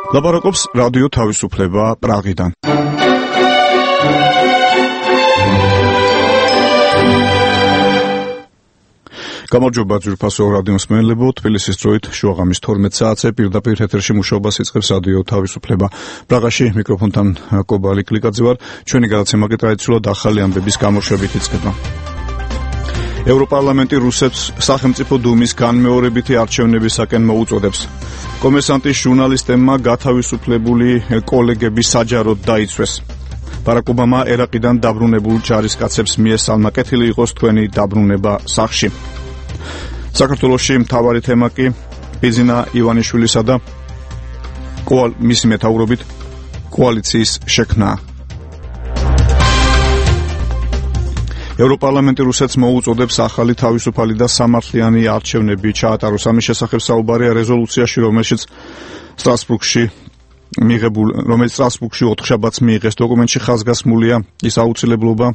ლაპარაკობს რადიო თავისუფლება პრაღიდან. გამარჯობა ძვირფასო რადიოს მსმენელებო, თბილისის დროით შუაღამის 12 საათზე პირდაპირ ეთერში მუშაობას იწყებს რადიო თავისუფლება. პრაღაში მიკროფონთან კობალი კლიკაძე ვარ. ჩვენი გადაცემა კი ტრადიციულად ახალი ამბების გამოშვებით იწყება. ევროპარლამენტი რუსეთს სახელმწიფო დუმის განმეორებითი არჩევნებისაკენ მოუწოდებს. კომერსანტის ჟურნალისტებმა გათავისუფლებული კოლეგები საჯაროდ დაიცვეს. ბარაკ ობამა ერაყიდან დაბრუნებულ ჯარისკაცებს მიესალმა, კეთილი იყოს თქვენი დაბრუნება სახლში. საქართველოში მთავარი თემა კი ბიზინა ივანიშვილისა და მისი მეთაურობით კოალიციის შექმნა. ევროპარლამენტი რუსეთს მოუწოდებს ახალი თავისუფალი და სამართლიანი არჩევნები ჩაატაროს. ამის შესახებ საუბარია რეზოლუციაში, რომელიც სტრასბურგში ოთხშაბათს მიიღეს. დოკუმენტში ხაზგასმულია ის აუცილებლობა,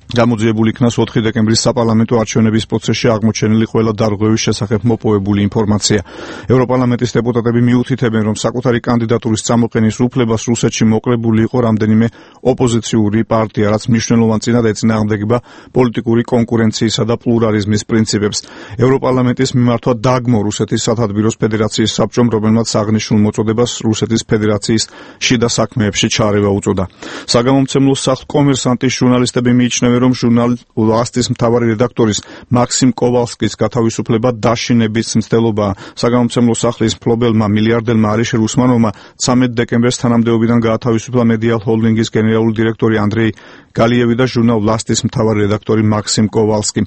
გამოძიებული იქნას 4 დეკემბრის საპარლამენტო არჩევნების პროცესში აღმოჩენილი ყველა დარღვევის შესახებ მოპოვებული ინფორმაცია. ევროპარლამენტის დეპუტატები მიუთითებენ, რომ საკუთარი კანდიდატურის წამოყენის უფლებას რუსეთში მოკლებული იყო რამდენიმე ოპოზიციური პარტია, რაც მნიშვნელოვან წინად ეწინააღმდეგება პოლიტიკური კონკურენციისა და პლურალიზმის პრინციპებს. ევროპარლამენტის მიმართვა დაგმო რუსეთის სათათბიროს ფედერაციის საბჭომ, რომელმაც აღნიშნულ მოწოდებას რუსეთის ფედერაციის შიდა საქმეებში ჩარევა უწოდა. საგამომცემლო სახლ კომერსანტის ჟურნალისტები მიიჩნევენ, რომ ჟურნალ „ლასტის“ მთავარი რედაქტორის მაქსიმ კოვალსკის გათავისუფლება დაშინების მცდელობაა. საგამომცემლო სახლის მფლობელმა მილიარდელმა არიშე რუსმანოვმა 13 დეკემბერს თანამდებობიდან გაათავისუფლა მედია ჰოლდინგის გენერალური დირექტორი ანდრეი გალიევი და ჟურნალ „ლასტის“ მთავარი რედაქტორი მაქსიმ კოვალსკი.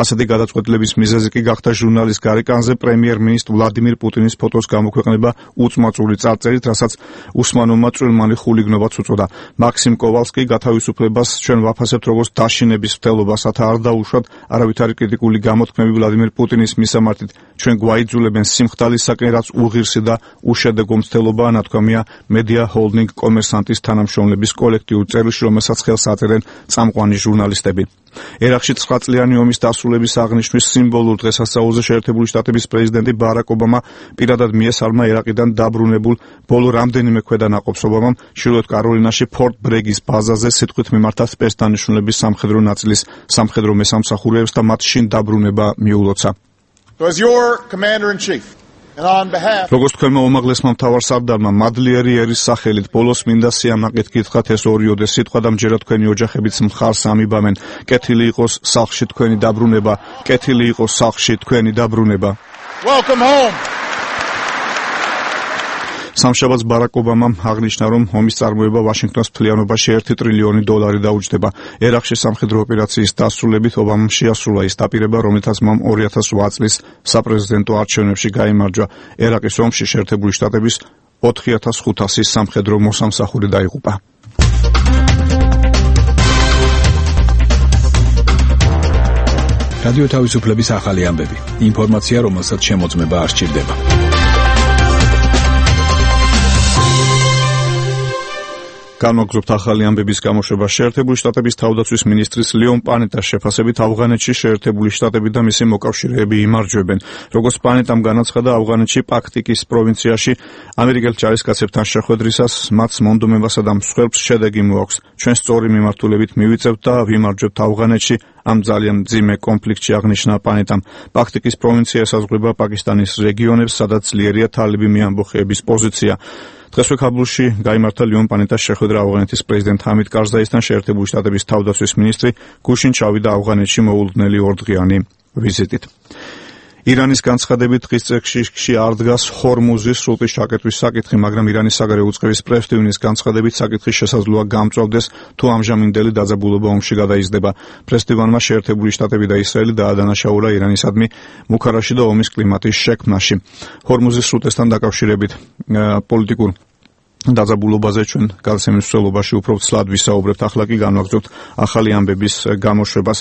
ასეთი გადაწყვეტილების მიზეზი კი გახდა ჟურნალის გარეკანზე პრემიერ-მინისტრ ვლადიმირ პუტინის ფოტოს გამოქვეყნება უწმაწული წარწერით, რასაც უსმანოვმა წვრილმანი ხულიგნობაც უწოდა. მაქსიმ კოვალსკი გათავისუფლებას ჩვენ ვაფასებთ როგორც დაშინების მცდელობას, რათა არ დაუშვათ არავითარი კრიტიკული გამოთქმები ვლადიმირ პუტინის მისამართით. ჩვენ გვაიძულებენ სიმხდალისაკენ, რაც უღირსი და უშედეგო მცდელობაა, ნათქვამია მედია ჰოლდინგ კომერსანტის თანამშრომლების კოლექტიურ წერილში, რომელსაც ხელს აწერენ წამყვანი ჟურნალისტები. ერაყში 9 წლიანი ომის დასრულების აღნიშვნის სიმბოლურ დღესასწაულზე შეერთებული შტატების პრეზიდენტი ბარაკ ობამა პირადად მიესალმა ერაყიდან დაბრუნებულ ბოლო რამდენიმე ქვედანაყოფს. ობამამ ჩრდილოეთ კაროლინაში ფორტ ბრეგის ბაზაზე სიტყვით მიმართა სპეცდანიშნულების სამხედრო ნაწილის სამხედრო მესამსახურეებს და მათ შინ დაბრუნება მიულოცა. როგორც თქვენმა უმაღლესმა მთავარსარდალმა მადლიერი ერის სახელით ბოლოს მინდა სიამაყით გითხრათ ეს ორიოდე სიტყვა და მჯერა თქვენი ოჯახებიც მხარს ამიბამენ. კეთილი იყოს სახლში თქვენი დაბრუნება, კეთილი იყოს სახლში თქვენი დაბრუნება. Welcome home. სამშაბათს ბარაკ ობამამ აღნიშნა, რომ ომის წარმოება ვაშინგტონის მთლიანობაში $1 ტრილიონი დაუჯდება. ერაყში სამხედრო ოპერაციის დასრულებით ობამამ შეასრულა ის დაპირება, რომელთაც მან 2008 წლის საპრეზიდენტო არჩევნებში გაიმარჯვა. ერაყის ომში შეერთებული შტატების 4500 სამხედრო მოსამსახური დაიღუპა. რადიო თავისუფლების ახალი ამბები. ინფორმაცია, რომელსაც შემოწმება არ სჭირდება. განვაგრძობთ ახალი ამბების გამოშვება. შეერთებული შტატების თავდაცვის მინისტრის ლეონ პანეტას შეფასებით ავღანეთში შეერთებული შტატები და მისი მოკავშირეები იმარჯვებენ. როგორც პანეტამ განაცხადა, ავღანეთში პაქტიკის პროვინციაში ამერიკელ ჯარისკაცებთან შეხვედრისას მათ მონდომებასა და მსხვერპლს შედეგი მოაქვს. ჩვენ სწორი მიმართულებით მივიწევთ და ვიმარჯვებთ ავღანეთში ამ ძალიან მძიმე კონფლიქტში, აღნიშნა პანეტამ. პაქტიკის პროვინცია ესაზღვრება პაკისტანის რეგიონებს, სადაც ძლიერია თალიბი მეამბოხეების პოზიცია. დღესვე ქაბულში გაიმართა ლეონ პანეტას შეხვედრა ავღანეთის პრეზიდენტ ჰამიდ კარზაისთან. შეერთებული შტატების თავდაცვის მინისტრი გუშინ ჩავიდა ავღანეთში მოულოდნელი ორდღიანი ვიზიტით. ირანის განცხადებით დღის წესრიგში არ დგას ჰორმუზის სრუტის ჩაკეტვის საკითხი, მაგრამ ირანის საგარეო უწყების პრეს-ტივნის განცხადებით საკითხი შესაძლოა გამწვავდეს, თუ ამჟამინდელი დაძაბულობა ომში გადაიზრდება. პრეს-ტივანმა შეერთებული შტატები და ისრაელი დაადანაშაულა ირანისადმი მუქარაში და ომის კლიმატის შექმნაში. ჰორმუზის სრუტესთან დაკავშირებით პოლიტიკურ დაძაბულობაზე ჩვენ გადაცემის მსვლელობაში უფრო ცლად ვისაუბრებთ. ახლა კი განვაგრძობთ ახალი ამბების გამოშვებას.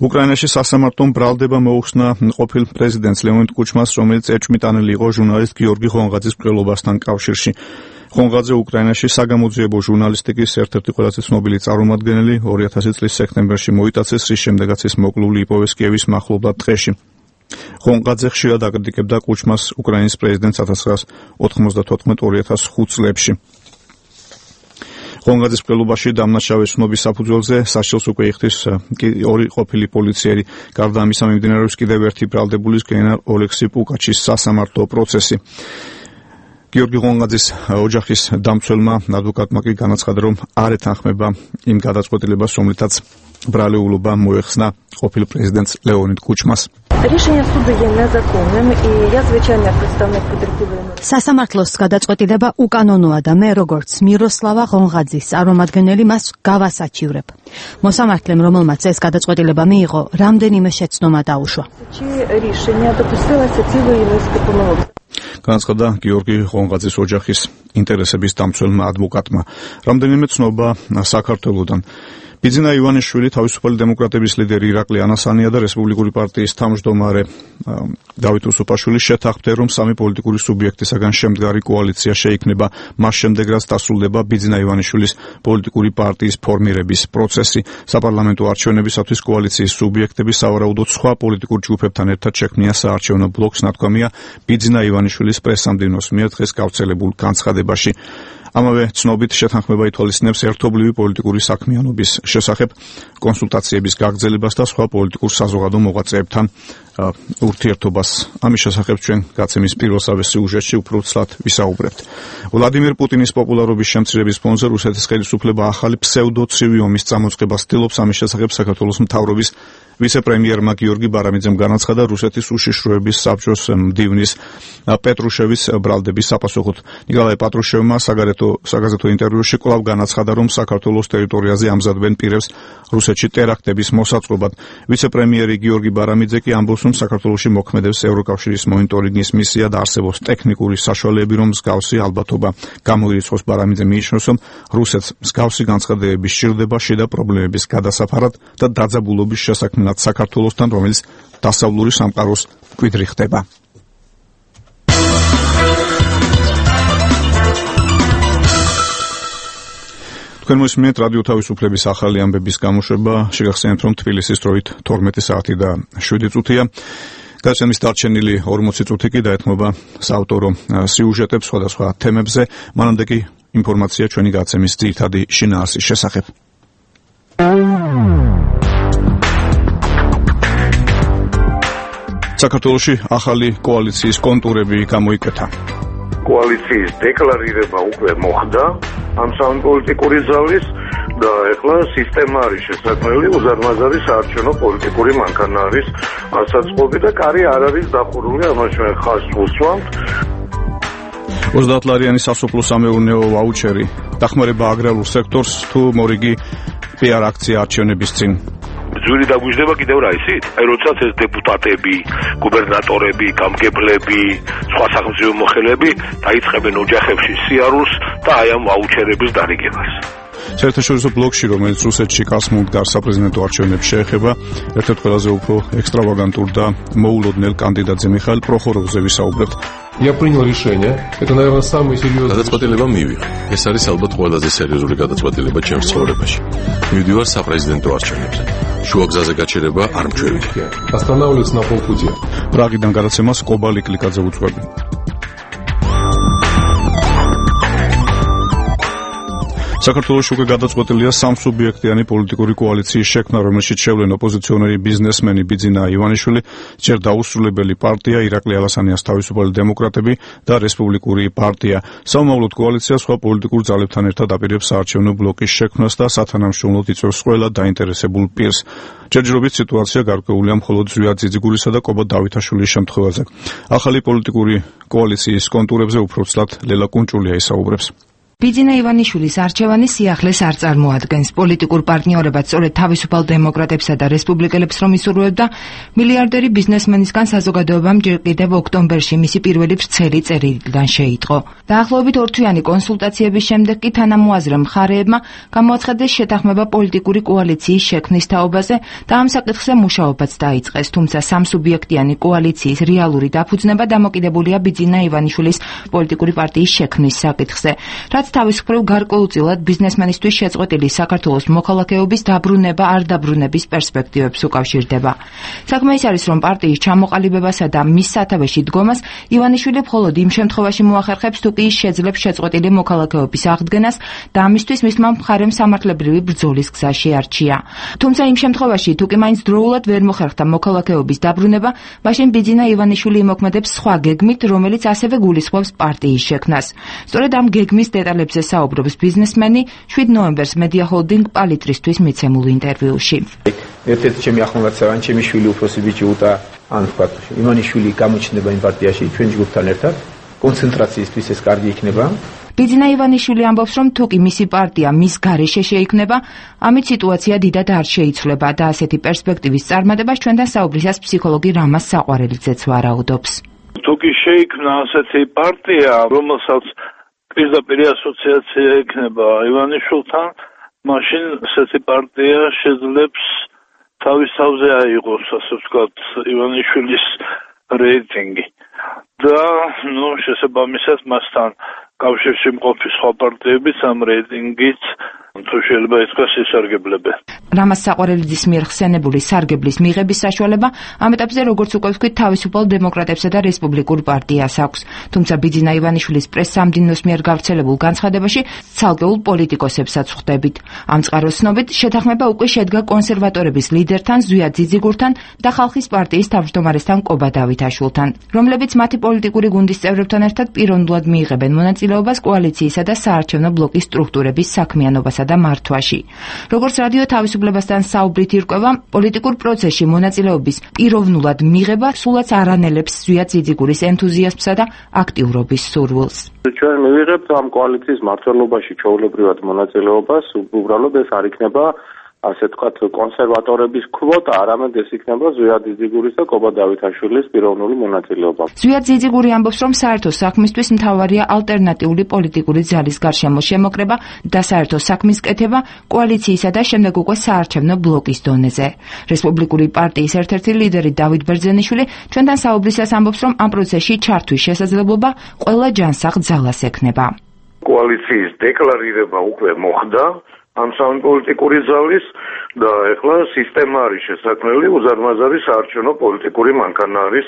უკრაინაში სასამართლომ ბრალდება მოუხსნა ყოფილ პრეზიდენტს ლეონიდ კუჩმას, რომელიც ეჭვმიტანილი იყო ჟურნალისტ გიორგი ხონღაძის მკვლელობასთან კავშირში. ხონღაძე უკრაინაში საგამოძიებო ჟურნალისტიკის ერთ-ერთი ყველაზე ცნობილი წარმომადგენელი 2000 წლის სექტემბერში მოიტაცეს, რის შემდეგაც ის მოკლული იპოვეს კიევის მახლობლად ტყეში. ხონღაძე ხშირად აკრიტიკებდა კუჩმას უკრაინის პრეზიდენტს 1994-2005 წლებში. ხონღაძის მკვლელობაში დამნაშავე ცნობის საფუძველზე სასჯელს უკვე იხდის ორი ყოფილი პოლიციელი. გარდა ამისა მიმდინარეობს კიდევ ერთი ბრალდებულის გენერალ ოლექსი პუკაჩის სასამართლო პროცესი. გიორგი ხონღაძის ოჯახის დამცველმა ადვოკატმა კი განაცხადა, რომ არ ეთანხმება იმ გადაწყვეტილებას, რომლითაც ბრალეულობა მოეხსნა ყოფილ პრეზიდენტს ლეონიდ კუჩმას. Рішення суду є незаконним, і я, звичайно, як представник потерпілої. სასამართლოს გადაწყვეტილება უკანონოა და მე როგორც მიროსლავა ხონღაძის წარმომადგენელი მას გავასაჩივრებ. მოსამართლემ, რომელმაც ეს გადაწყვეტილება მიიღო, რამდენიმე შეცდომა დაუშვა. Чи рішення допустилося цілої низки помилок. განაცხადა გიორგი ხონღაძის ოჯახის ინტერესების დამცველმა ადვოკატმა. რამდენიმე ცნობა საქართველოდან. ბიძინა ივანიშვილი, თავისუფალი დემოკრატების ლიდერი ირაკლი ანასანია და რესპუბლიკური პარტიის თავმჯდომარე დავით უსუფაშვილი შეთანხმდნენ, რომ სამი პოლიტიკური სუბიექტისაგან შემდგარი კოალიცია შეიქმნება. მას შემდეგ, რაც დასრულდება ბიძინა ივანიშვილის პოლიტიკური პარტიის ფორმირების პროცესი. საპარლამენტო არჩევნებისათვის კოალიციის სუბიექტები სავარაუდოდ სხვა პოლიტიკურ ჯგუფებთან ერთად შექმნიან საარჩევნო ბლოკს, ნათქვამია ბიძინა ივანიშვილის პრესსამდივნოს მიერ დღეს გავრცელებულ განცხადებაში. ამავე ცნობით შეთანხმება ითვალისწინებს ერთობლივი პოლიტიკური საქმიანობის შესახებ კონსულტაციების გაგრძელებას და სხვა პოლიტიკურ საზოგადო მოღვაწეებთან ურთიერთობას. ამის შესახებ ჩვენ გაცემის პირველსავე სიუჟეტში უფრო ცლად ვისაუბრებთ. ვლადიმირ პუტინის პოპულარობის შემცირების ფონზე რუსეთის ხელისუფლება ახალი ფსევდოცივი ომის წამოწყებას ცდილობს. ამის შესახებ საქართველოს მთავრობის ვიცე-პრემიერმა გიორგი ბარამიძემ განაცხადა რუსეთის უშიშროების საბჭოს მდივნის პეტრუშევის ბრალდების საპასუხოდ. ნიკოლაი პატრუშევმა საგაზეთო ინტერვიუში კვლავ განაცხადა, რომ საქართველოს ტერიტორიაზე ამზადებენ პირებს რუსეთში ტერაქტების მოსაწყობად. ვიცე-პრემიერი გიორგი ბარამიძე კი ამბობს, რომ საქართველოში მოქმედებს ევროკავშირის მონიტორინგის მისია და არსებობს ტექნიკური საშუალებები, რომ მსგავსი ალბათობა გამოირიცხოს. ბარამიძე მიიჩნევს, რომ რუსეთს მსგავსი განცხადებები სჭირდება შიდა პრობლემების გადასაფარად და დაძაბულობის შესაქმნელად საქართველოსთან, რომელიც დასავლური სამყაროს მკვიდრი ხდება. თქვენ მოსმენთ რადიო თავისუფლების ახალი ამბების გამოშვება. შეგახსენებთ, რომ თბილისის დროით 12 საათი და 7 წუთია. გადაცემის დარჩენილი 40 წუთი კი დაეთმობა საავტორო სიუჟეტებს სხვადასხვა თემებზე. მანამდე კი ინფორმაცია ჩვენი გადაცემის ძირითადი შინაარსის შესახებ. საქართველოში ახალი კოალიციის კონტურები გამოიკეთა. კოალიციის დეკლარირება უკვე მოხდა ამ სამი პოლიტიკური ზავის და ეხლა სისტემა არის შესაძლებელი, უზარმაზარი საარჩევნო პოლიტიკური მანქანა არის ასაწყობი და კარი არ არის დახურული, ამას ჩვენ ხაზს ვუსვამთ. 30 ლარიანი სასოფლო სამეურნეო ვაუჩერი დახმარება აგრარულ სექტორს თუ მორიგი PR აქცია არჩევნების წინ. ძვირი დაგვიждდება კიდევ რა ისიც? აი როდესაც ეს დეპუტატები, გუბერნატორები, გამგებლები, სხვა სახელმწიფო მოხელეები დაიწყებენ ოჯახებში სიარულს და აი ამ ვაუჩერების დარიგებას. საერთაშორისო ბლოკში, რომელიც რუსეთში კასმუნგარ საპრეზიდენტო არჩევნებს შეეხება, ერთ-ერთ ყველაზე უფრო ექსტრავაგანტურ და მოულოდნელ კანდიდატზე მიხაილ პროხოროვზე ვისაუბრებთ. Я принял решение. Это, наверное, самый серьезный. გადაწყვეტილება მივიღე. ეს არის ალბათ ყველაზე სერიოზული გადაწყვეტილება ჩემს ცხოვრებაში. მივდივარ საპრეზიდენტო არჩევნებზე. შუა გზაზე გაჩერება არ მჩვევია. Останавливаться на полпути. პრაღიდან გადაცემას კობალი კლიკაძე უძღვები. საქართველოს უკვე გადაწყვეტილია სამსუბიექტიანი პოლიტიკური კოალიციის შექმნა, რომელშიც შევლენ ოპოზიციონერი ბიზნესმენი ბიძინა ივანიშვილი, ჯერ დაუსრულებელი პარტია ირაკლი ალასანიას თავისუფალი დემოკრატები და რესპუბლიკური პარტია. სამომავლოდ კოალიცია სხვა პოლიტიკურ ძალებთან ერთად აპირებს საარჩევნო ბლოკის შექმნას და სათანამშრომლოდ იწვევს ყველა დაინტერესებულ პირს. ჯერჯერობით სიტუაცია გარკვეულია მხოლოდ ზვიად ძიძიგურისა და კობა დავითაშვილის შემთხვევაზე. ახალი პოლიტიკური კოალიციის კონტურებზე უფრო ცლად ლელა კუნჭულია ისაუბრებს. ბიძინა ივანიშვილის არჩევანი სიახლეს არ წარმოადგენს. პოლიტიკურ პარტნიორებად სწორედ თავისუფალ დემოკრატებსა და რესპუბლიკელებს რომ ისურვებდა, მილიარდერი ბიზნესმენისგან საზოგადოებამ ჯერ კიდევ ოქტომბერში მისი პირველი ვრცელი წერილიდან შეიტყო. დაახლოებით 2 თვიანი კონსულტაციების შემდეგ კი თანამოაზრე მხარეებმა გამოაცხადეს შეთანხმება პოლიტიკური კოალიციის შექმნის თაობაზე და ამ საკითხზე მუშაობაც დაიწყეს, თუმცა სამსუბიექტიანი კოალიციის რეალური დაფუძნება დამოკიდებულია ბიძინა ივანიშვილის პოლიტიკური პარტიის შექმნის საკითხზე. რაც თავისუფლად გარკვეულწილად ბიზნესმენისთვის შეწყვეტილი საქართველოს მოქალაქეობის დაბრუნება არ დაბრუნების პერსპექტივებს უკავშირდება. საქმე ის არის, რომ პარტიის ჩამოყალიბებასა და მის სათავეში დგომას ივანიშვილი მხოლოდ იმ შემთხვევაში მოახერხებს, თუ კი შეძლებს შეწყვეტილი მოქალაქეობის აღდგენას და ამისთვის მისმა მხარემ სამართლებრივი ბრძოლის გზა შეარჩია. თუმცა იმ შემთხვევაში, თუ კი მაინც დროულად ვერ მოხერხდა მოქალაქეობის დაბრუნება, მაშინ ბიძინა ივანიშვილი იმოქმედებს სხვა გეგმით, რომელიც ასევე გულისხმობს პარტიის შექმნას. სწორედ ამ გეგმის დეტალებზე საუბრობს ბიზნესმენი 7 ნოემბერს მედია ჰოლდინგ პალიტრისთვის მიცემულ ინტერვიუში. ერთ-ერთი ჩემი ახლომაცავანი, ჩემი შვილი უფროსი ბიჭი უტა, ან თქვა, ივანიშვილი გამოჩნდება იმ პარტიაში ჩვენ ჯგუფთან ერთად, კონცენტრაციისთვის ეს კარგი იქნება. ბიძინა ივანიშვილი ამბობს, რომ თუ კი მისი პარტია მის გარეშე შეიქმნება, ამით სიტუაცია დიდად არ შეიცვლება და ასეთი პერსპექტივის წარმატებას ჩვენთან საუბრისას ფსიქოლოგი რამაზ საყვარელიძეც ვარაუდობს. თუ კი შეიქმნა ასეთი პარტია, რომელსაც პირდაპირ ასოციაცია ექნება ივანიშვილთან, მაშინ ასეთი პარტია შეძლებს თავის თავზე აიღოს, ასე ვთქვათ, ივანიშვილის რეიტინგი. და, შესაბამისად მასთან კავშირში მყოფი სხვა პარტიებიც ამ რეიტინგით თუ შეიძლება ითქვას ისარგებლებენ. რამაზ საყვარელიძის მიერ ხსენებული სარგებლის მიღების საშუალება ამ ეტაპზე, როგორც უკვე ვთქვით, თავისუფალ დემოკრატებსა და რესპუბლიკურ პარტიას აქვს. თუმცა ბიძინა ივანიშვილის პრეს-სამდინოს მიერ გავრცელებულ განცხადებაში ცალკეულ პოლიტიკოსებსაც ხვდებით. ამ წყაროს ცნობით, შეთანხმება უკვე შედგა კონსერვატორების ლიდერთან ზვიად ძიძიგურთან და ხალხის პარტიის თავმჯდომარესთან კობა დავითაშვილთან, რომლებიც მათი პოლიტიკური გუნდის წევრებთან ერთად პიროვნულად მიიღებენ მონაწილეობას კოალიციისა და საარჩევნო ბლოკის სტრუქტურების საქმიანობასა და მართვაში. როგორც რადიო თავისუფლებასთან საუბრით ირკვევა, პოლიტიკურ პროცესში მონაწილეობის პიროვნულად მიღება სულაც არ ანელებს ზვიად ძიძიგურის ენთუზიაზმსა და აქტიურობის სურვილს. ჩვენ მივიღებთ ამ კოალიციის მმართველობაში ჩვეულებრივად მონაწილეობას, უბრალოდ ეს არ იქნება ასე ვთქვათ, კონსერვატორების კვოტა, არამედ ეს იქნება ზვიად ძიძიგურის და კობა დავითაშვილის პიროვნული მონაწილეობა. ზვიად ძიძიგური ამბობს, რომ საერთო საქმისთვის მთავარია ალტერნატიული პოლიტიკური ძალის გარშემო შემოკრება და საერთო საქმის კეთება კოალიციისა და შემდეგ უკვე საარჩევნო ბლოკის დონეზე. რესპუბლიკური პარტიის ერთ-ერთი ლიდერი დავით ბერძენიშვილი ჩვენთან საუბრისას ამბობს, რომ ამ პროცესში ჩართვის შესაძლებლობა ყველა ჯანსაღ ძალას ექნება. კოალიციის დეკლარირება უკვე მოხდა ამ სამი პოლიტიკური ძალის და ეხლა სისტემა არის შესაქმნელი, უზარმაზარი საარჩევნო პოლიტიკური მანქანა არის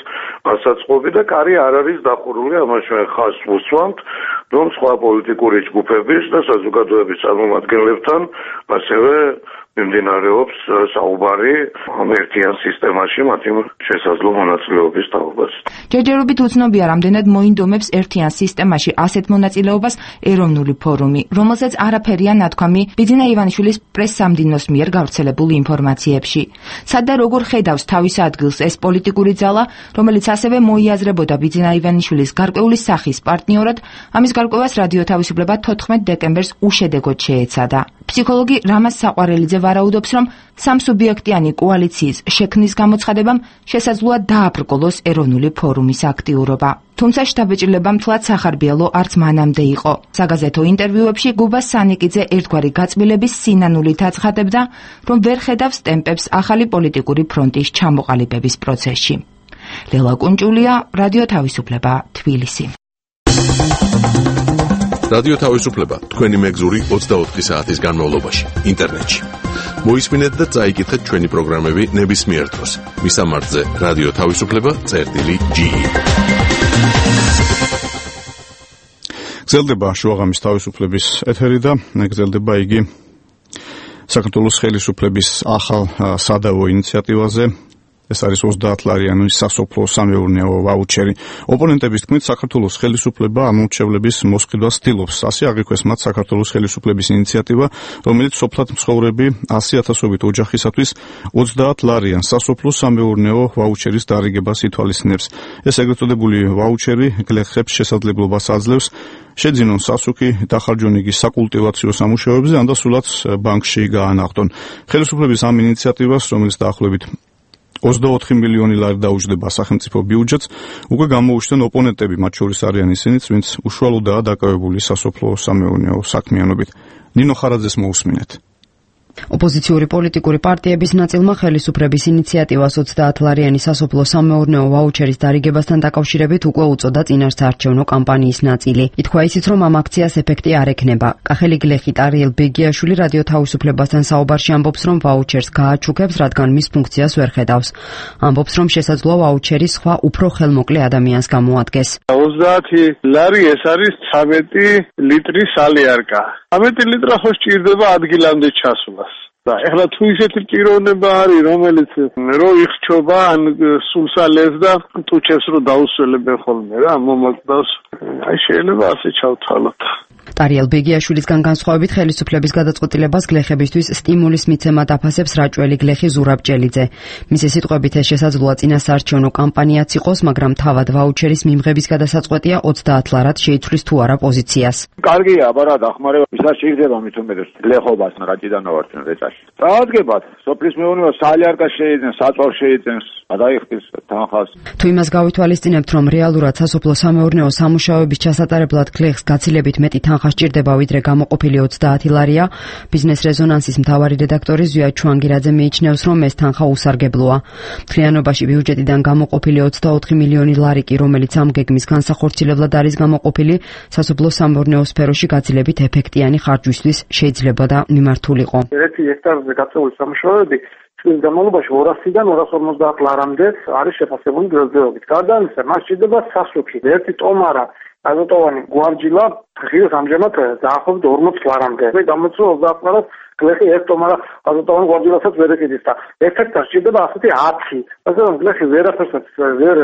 ასაწყობი და კარი არ არის დახურული, ამას ჩვენ ხაზს ვუსვამთ, რომ სხვა პოლიტიკური ჯგუფების და საზოგადოების წარმომადგენლებთან ასევე მიმდინარეობს საუბარი ამ ერთიან სისტემაში მათი შესაძლო მონაწილეობის თაობას. ჯერჯერობით უცნობია, რამდენად მოინდომებს ერთიან სისტემაში ასეთ მონაწილეობას ეროვნული ფორუმი, რომელზეც არაფერია ნათქვამი ბიძინა ივანიშვილის პრეს-სამდინოს მიერ გავრცელებულ ინფორმაციებში. სად და როგორ ხედავს თავის ადგილს ეს პოლიტიკური ძალა, რომელიც ასევე მოიაზრებოდა ბიძინა ივანიშვილის გარკვეული სახის პარტნიორად, ამის გარკვევას რადიო თავისუფლება 14 დეკემბერს უშედეგოდ შეეცადა. ფსიქოლოგი რამაზ საყვარელიძე ვარაუდობს, რომ სამსუბიექტიანი კოალიციის შექმნის გამოცხადებამ შესაძლოა დააბრკოლოს ეროვნული ფორუმის აქტიურობა. თუმცა შთაბეჭდილება მთლად სახარბიელო არც მანამდე იყო. საგაზეთო ინტერვიუებში გუბა სანიკიძე ერთგვარი გაწმილების სინანულით აცხადებდა, რომ ვერ ხედავს ტემპებს ახალი პოლიტიკური ფრონტის ჩამოყალიბების პროცესში. ლელა კუნჭულია, რადიო თავისუფლება, თბილისი. რადიო თავისუფლება თქვენი მეგზური 24 საათის განმავლობაში ინტერნეტში. მოისმინეთ და წაიკითხეთ ჩვენი პროგრამები ნებისმიერ დროს. მისამართზე რადიო თავისუფლება.ge. გრძელდება შუაღამის თავისუფლების ეთერი და გრძელდება იგი საქართველოს ხელისუფლების ახალ სადავო ინიციატივაზე. ეს არის 30 ლარიანი სასოფლო სამეურნეო ვაუჩერი. ოპონენტების თქმით, საქართველოს ხელისუფლება ამორჩევლების მოსყიდვას ცდილობს. ასე აღიქვეს მათ საქართველოს ხელისუფლების ინიციატივა, რომელიც სოფლად მცხოვრები 100,000-ობით ოჯახისათვის 30 ლარიან სასოფლო სამეურნეო ვაუჩერის დარიგებას ითვალისწინებს. ეს ეგრეთ წოდებული ვაუჩერი გლეხებს შესაძლებლობას აძლევს შეძინონ სასუქი დახარჯონ იგი საკულტივაციო სამუშაოებზე, ან და სულაც ბანკში გაანახტონ. ხელისუფლების ამ ინიციატივას, რომელიც დაახლოებით 24 მილიონი ლარი დაუჯდება სახელმწიფო ბიუჯეტს, უკვე გამოუჩნდნენ ოპონენტები, მათ შორის არიან ისინიც, ვინც უშუალოდაა დაკავებული სასოფლო სამეურნეო საქმიანობით. ნინო ხარაძეს მოусმინეთ. ოპოზიციური პოლიტიკური პარტიების ნაწილმა ხელისუფლების ინიციატივას 30 ლარიანი სასოფლო-სამეურნეო ვაუჩერის დარიგებასთან დაკავშირებით უკვე უწოდა წინასაარჩევნო კამპანიის ნაწილი. ითქვა ისიც, რომ ამ აქციას ეფექტი არ ექნება. კახელი გლეხი ტარიელ ბეგიაშვილი რადიო თავისუფლებასთან საუბარში ამბობს, რომ ვაუჩერს გააჩუქებს, რადგან მის ფუნქციას ვერ ხედავს. ამბობს, რომ შესაძლოა ვაუჩერი სხვა უფრო ხელმოკლე ადამიანს გამოადგეს. 30 ლარი ეს არის 13 ლიტრის სალიარკა. 13 ლიტრა ხო სჭირდება ადგილამდე ჩასვლას. და ეხლა თუ ისეთი პიროვნება არის, რომელიც რო იხჩობა ან სულსალეს და ტუჩებს რო დაუსველებენ ხოლმე რა, მომაკვდავს. აი შეიძლება ასე ჩავთვალოთ. ტარიელ ბეგიაშვილისგან განსხვავებით ხელისუფლების გადაწყვეტილებას გლეხებისთვის სტიმულის მიცემა დაფასებს რაჭველი გლეხი ზურაბ ჭელიძე. მისი სიტყვებით ეს შესაძლოა წინასაარჩევნო კამპანიაც იყოს, მაგრამ თავად ვაუჩერის მიმღების გადასაწყვეტია 30 ლარად შეიცვლის თუ არა პოზიციას. კარგია, აბარა დახმარება ისაც შეიძლება მით უმეტეს გლეხობას რაჭიდან ვარ ჩვენ რეწაში. დაადგებათ, სოფლის მეურნეობა სალიარკას შეიძენს, საწვავს შეიძენს, გადაიხდის თანხას. თუ იმას გავითვალისწინებთ, რომ რეალურად სასოფლო-სამეურნეო სამუშაოების ჩასატარებლად გლეხს გაცილებით მეტი თანხა სჭირდება ვიდრე გამოყოფილი 30 ლარია, ბიზნეს რეზონანსის მთავარი რედაქტორი ზვია ჩუანგირაძე მიიჩნევს, რომ ეს თანხა უსარგებლოა. მთლიანობაში ბიუჯეტიდან გამოყოფილი 24 მილიონი ლარი კი, რომელიც ამ გეგმის განსახორციელებლად არის გამოყოფილი, სასოფლო-სამეურნეო სფეროში გაცილებით ეფექტიანი ხარჯვისთვის შეიძლება და მიმართულიყო. 1 ჰექტარზე გაწეული სამუშაოები წლის განმავლობაში 200-დან 250 ლარამდე არის შეფასებული დღესდღეობით. გარდა ამისა, მას სჭირდება სასუქი, ერთი ტომარა აზოტოვანი გვარჯილა ღირს ამჟამად დაახლოებით 40 ლარამდე. მე გამოცდილ 30 ლარად გლეხი ერთ ტომარა აზოტოვანი გვარჯილასაც ვერ ეკიდის და ერთ-ერთად სჭირდება ასეთი 10. ასე რომ გლეხი ვერაფერსაც ვერ